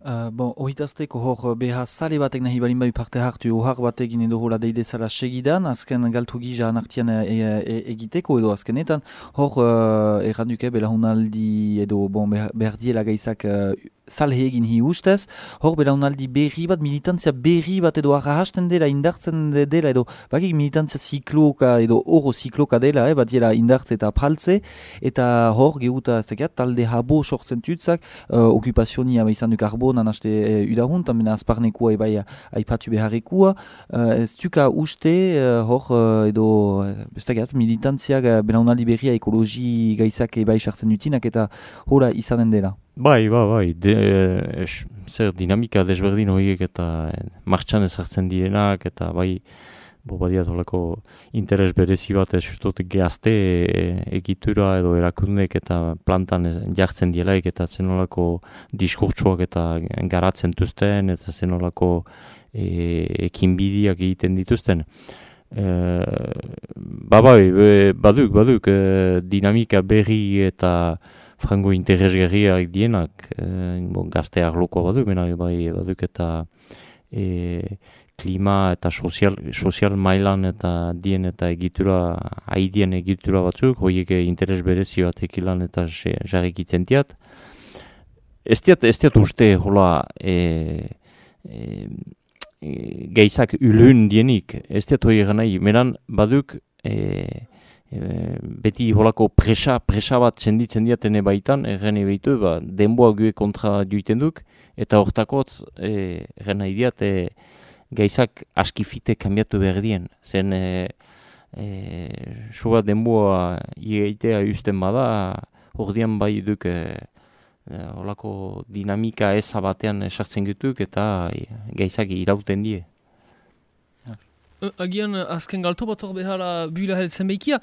Uh, bon, ohitazteko hor beha sale batek nahi balin bai parte hartu ohar batekin edo hola deidezala segidan, azken galtu gija anartian e, e, egiteko edo azkenetan, hor uh, erranduke belahunaldi edo bon, behar diela gaizak uh, salhe egin hi ustez, hor belahunaldi berri bat, militantzia berri bat edo arrahasten dela, indartzen dela edo bakik militantzia zikloka edo oro zikloka dela, eh, bat diela indartze eta praltze, eta hor gehuta zekat, talde habo sortzen tutzak, uh, okupazionia izan duk arbo nanaste e, udahun, tamena azparnekua ebai aipatu beharrekua, uh, ez duka uste uh, hor uh, edo bestagat militantziak uh, belaunaldi berria ekologi gaizak ebai sartzen dutinak eta hora izanen dela. Bai, bai, bai, de, es, zer dinamika desberdin horiek eta martxan ezartzen direnak eta bai, bo badiat holako interes berezi bat ez justot gehazte e, egitura edo erakundek eta plantan ez, jartzen dielaik eta zen holako diskurtsuak eta garatzen duzten eta zen holako e, ekinbidiak egiten dituzten. E, ba bai, be, baduk, baduk, e, dinamika berri eta frango interesgarriak dienak, e, bon, gazte arloko baduk, bena bai baduk eta e, klima eta sozial, sozial mailan eta dien eta egitura, haidien egitura batzuk, horiek interes berezi batek ilan eta jarrikitzen diat. Ez diat, ez diat uste, hola, e, e, e, geizak ulun dienik, ez diat hori nahi, menan baduk, e, e, beti holako presa, presa bat senditzen diatene baitan, erren ebeitu, ba, denboa gue kontra duiten duk, eta hortakotz, erren nahi diat, e, gaizak askifite kanbiatu behar dien. Zen, e, e, soa denboa ieitea usten bada, ordian bai duk e, e, olako dinamika eza batean sartzen gutuk eta e, gaizak irauten die. Agian azken galto bat hor behala buila heltzen behikia,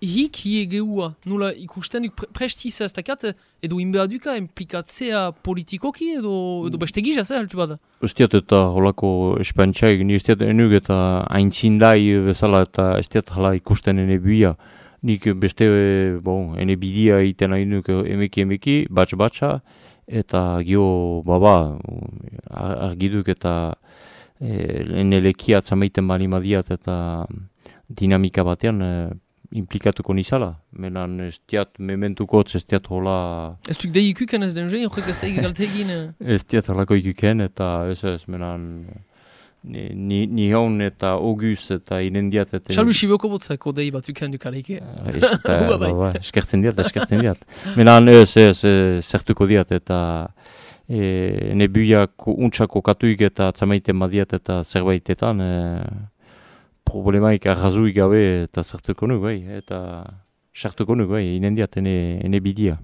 hik hie geua, nula ikusten duk pre prestiza ez dakat, edo inbea duka implikatzea politikoki edo, edo beste gizaz, eh, heltu bada? Estiat eta holako espantxaik, ni estiat enuk eta aintzindai bezala eta estiat hala ikusten ene buia. Nik beste, bon, ene bidia iten hainuk emeki emeki, batx-batxa, eta gio baba, argiduk eta E, enelekia atzamaiten bali madiat eta dinamika batean e, implikatuko nizala. Menan ez diat mementukotz, ez diat hola... Ez duk dei ikuken ez den joi, horrek ez da galte Ez diat holako ikuken eta ez ez menan ni, ni, ni hon eta oguz eta inendiat eta... Xalu xiboko botzako dei bat uken dukaleike. Eskertzen diat, eskertzen diat. Menan ez ez zertuko diat eta... E, nebuiak untxako katuik eta atzamaiten badiat eta zerbaitetan e, problemaik arrazuik gabe eta zertuko nuk bai, eta sartuko nuk bai, inendiat ene, ene bidia.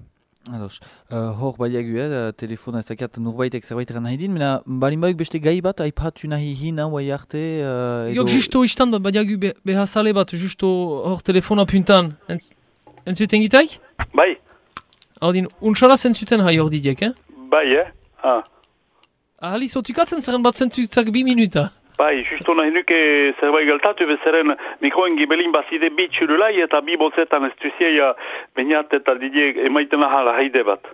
Ados, uh, hor baiagu, eh, telefona ez dakiat norbaitek zerbaiteran nahi din, mena balin baik beste gai bat aipatu nahi hina, guai arte... Uh, edo... Jo, justo istan bat baiagu be, behazale bat, justo hor telefona puntan. Entzuten gitaik? Bai. Haudin, untxala zentzuten hai hor didiek, eh? Bai, eh? Ah. Ahali, zotukatzen zerren bat zentzutak bi minuta. Bai, justo nahi nuke zerbait galtatu bezaren mikroen gibelin bazide bi txurulai eta bi botzetan ez duzieia bainat eta didiek emaiten ahala haide bat.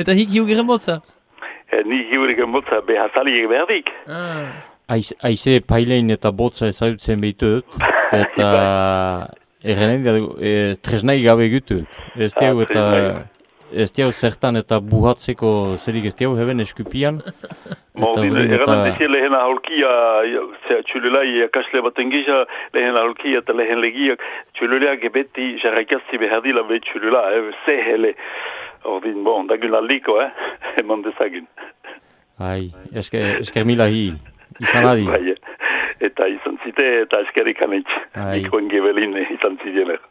Eta hik hiugeren botza? E, ni hiugeren botza behazaliek berdik. Ah. Aiz, aize pailein eta botza ezagutzen behitut eta errenen da e, tresnai gabe gutut. Ez ah, eta... Ez diau zertan eta buhatzeko zerik ez diau heben eskupian. Mo, bine, eran dezia lehen aholkia, txululai akasle baten gisa, lehen aholkia eta lehen legiak, txululeak ebeti jarraikazzi behardila be txulula, eh, zehele. Ordin, bon, dagun aldiko, eh, eman dezagun. Ai, esker, esker mila hi, izan adi. Bai, eta izan zite eta eskerik anetx, mikroen gebelin izan zidener.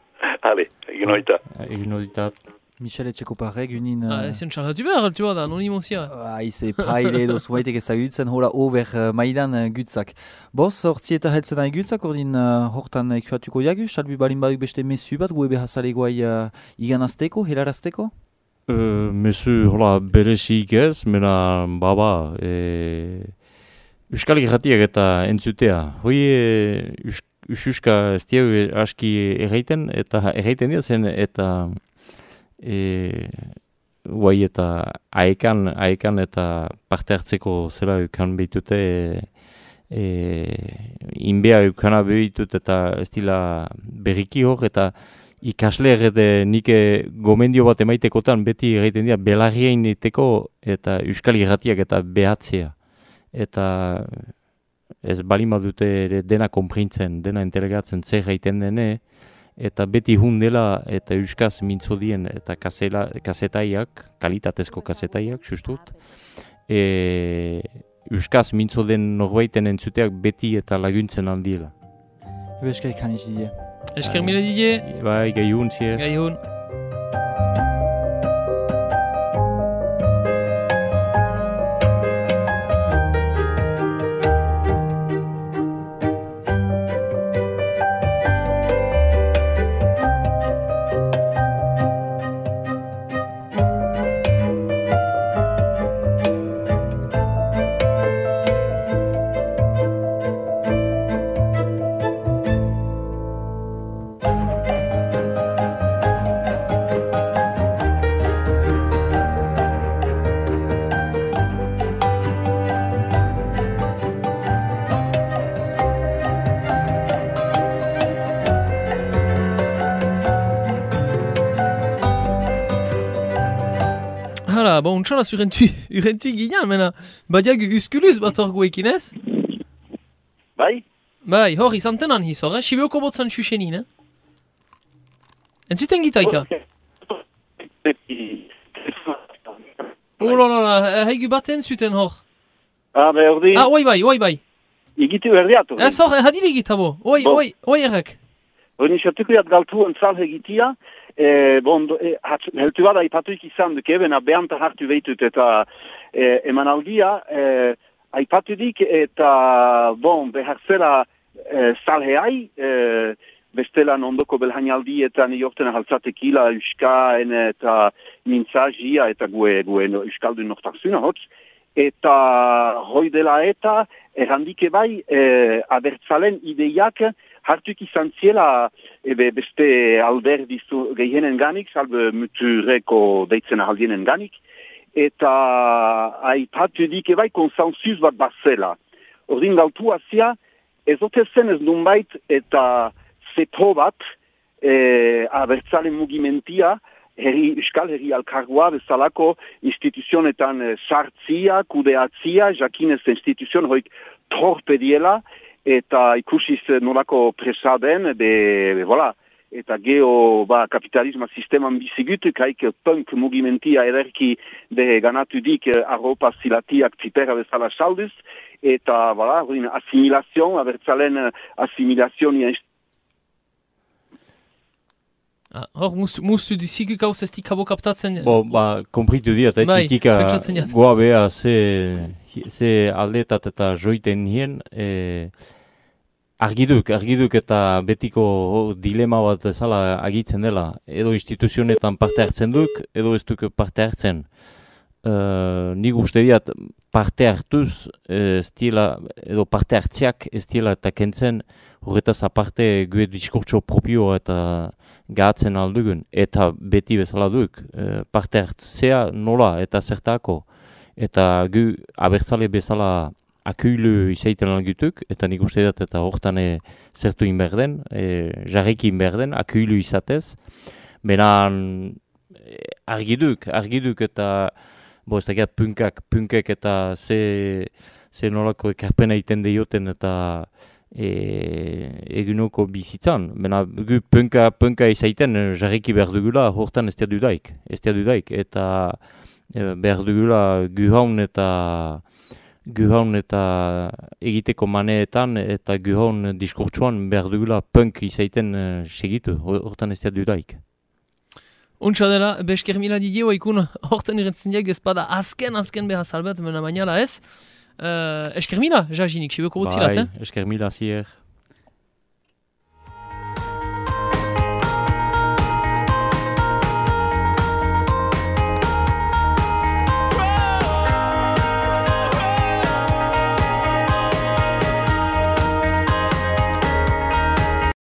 Hale, egin oita. Egin oitat. Michel Etxekoparek, unin... Ah, ez zen txarratu behar, altu bada, anonimozia. Aize, praile edo zuaitek ezagutzen, hola ober uh, maidan uh, gutzak. Boz, hortzi eta heltzen nahi gutzak, ordin uh, hortan ekuatuko jagu, salbi balin baduk beste mesu bat, goe behazale guai uh, iganazteko, helarazteko? Uh, mesu, hola, beresik ez, mena, baba, e... Euskal Irratiak eta entzutea. Hoi, e, ususka ez diau aski erraiten, eta erraiten dira zen, eta... E, guai eta aekan, aekan eta parte hartzeko zera eukan behitute e, e, inbea eukana behitut eta ez dila berriki hor eta ikasle errede nike gomendio bat emaitekotan beti egiten dira belarrien iteko eta Euskal Irratiak eta behatzea eta ez balima dute ere dena konprintzen, dena entelegatzen zer gaiten dene eta beti hundela eta euskaz mintzo dien eta kasela, kasetaiak, kalitatezko kasetaiak, justut. E, euskaz mintzo den norbaiten entzuteak beti eta laguntzen aldiela. Ebe eskerik haniz dide. Esker mila dide. Bai, gai hun, zier. Gai hun. Hala, ba, untxalaz urentu, urentu ginen, mena, badiak uskuluz bat hor guekin ez? Bai? Bai, hor, izan tenan hiz hor, eh? Sibeoko botzan xuxenin, eh? Entzuten gitaika? Oh la la la, haigu baten zuten hor. Ah, berdi? Ah, oi bai, oi bai. Egitu berdiatu. Ez hor, hadile egitabo, oi, Bo. oi, oi errek. Hori nisatuko jat galtu entzal egitia, e, bon, do, e, hat, heltu bada ipatuik izan duke, bena behanta hartu behitut eta e, emanaldia, e, aipatudik eta, bon, behar zela e, salheai, e, bestelan ondoko belhainaldietan jorten ahaltzatekila euskaen eta mintzazia eta gue, gue no, euskaldun nortarzuna hotz, eta hoi dela eta errandike bai e, abertzalen ideiak hartuk izan ziela ebe beste alderdi gehienen ganik, salbe mutureko deitzen ahaldienen ganik, eta aipatu dike bai konsensuz bat bazela. Ordin galtu azia, ezote zen ez nunbait eta zeto bat e, abertzalen mugimentia, herri, euskal herri alkargoa bezalako instituzionetan e, sartzia, kudeatzia, jakinez instituzion hoik torpediela, eta ikusiz nolako presaden, de, de, voilà, eta geo ba, kapitalisma sisteman bizigutuk, haik punk mugimentia ederki de ganatudik arropa zilatiak zipera bezala salduz, eta voilà, asimilazion, abertzalen asimilazion Ah, hor, mustu, mustu duzikuk hau zestik habo kaptatzen. Bo, ba, kompritu diat, eh, Bai, titika pentsatzen jat. goa beha ze, ze aldetat eta joiten nien, eh, argiduk, argiduk eta betiko dilema bat ezala agitzen dela. Edo instituzionetan parte hartzen duk, edo ez duk parte hartzen. Uh, nik uste diat parte hartuz, ez diela, edo parte hartziak ez diela eta kentzen horretaz aparte gue diskurtso propio eta gahatzen aldugun. Eta beti bezala duk, uh, parte hartzea nola eta zertako. Eta gu abertzale bezala akuilu izaiten algutuk, eta nik uste diat eta hortan e, zertu inberden, e, jarriki inberden, akuilu izatez. Benan argiduk, argiduk eta bo, ez dakiat punkak, punkek eta ze, ze nolako ekarpena iten deioten eta e, egunoko bizitzan. Bena, gu punka, punka izaiten jarriki behar dugula, hortan ez dudaik, ez dudaik. Eta e, behar dugula guhaun eta guhaun eta egiteko maneetan eta guhaun diskurtsuan behar dugula punk izaiten e, segitu, hortan ez dudaik. Untsa dela, besker mila didio ikun horten irentzen diak ezpada azken, azken behar salbet, mena bainala ez. Uh, esker mila, jajinik, sibeko botzilat, Bai, eh? esker mila zier.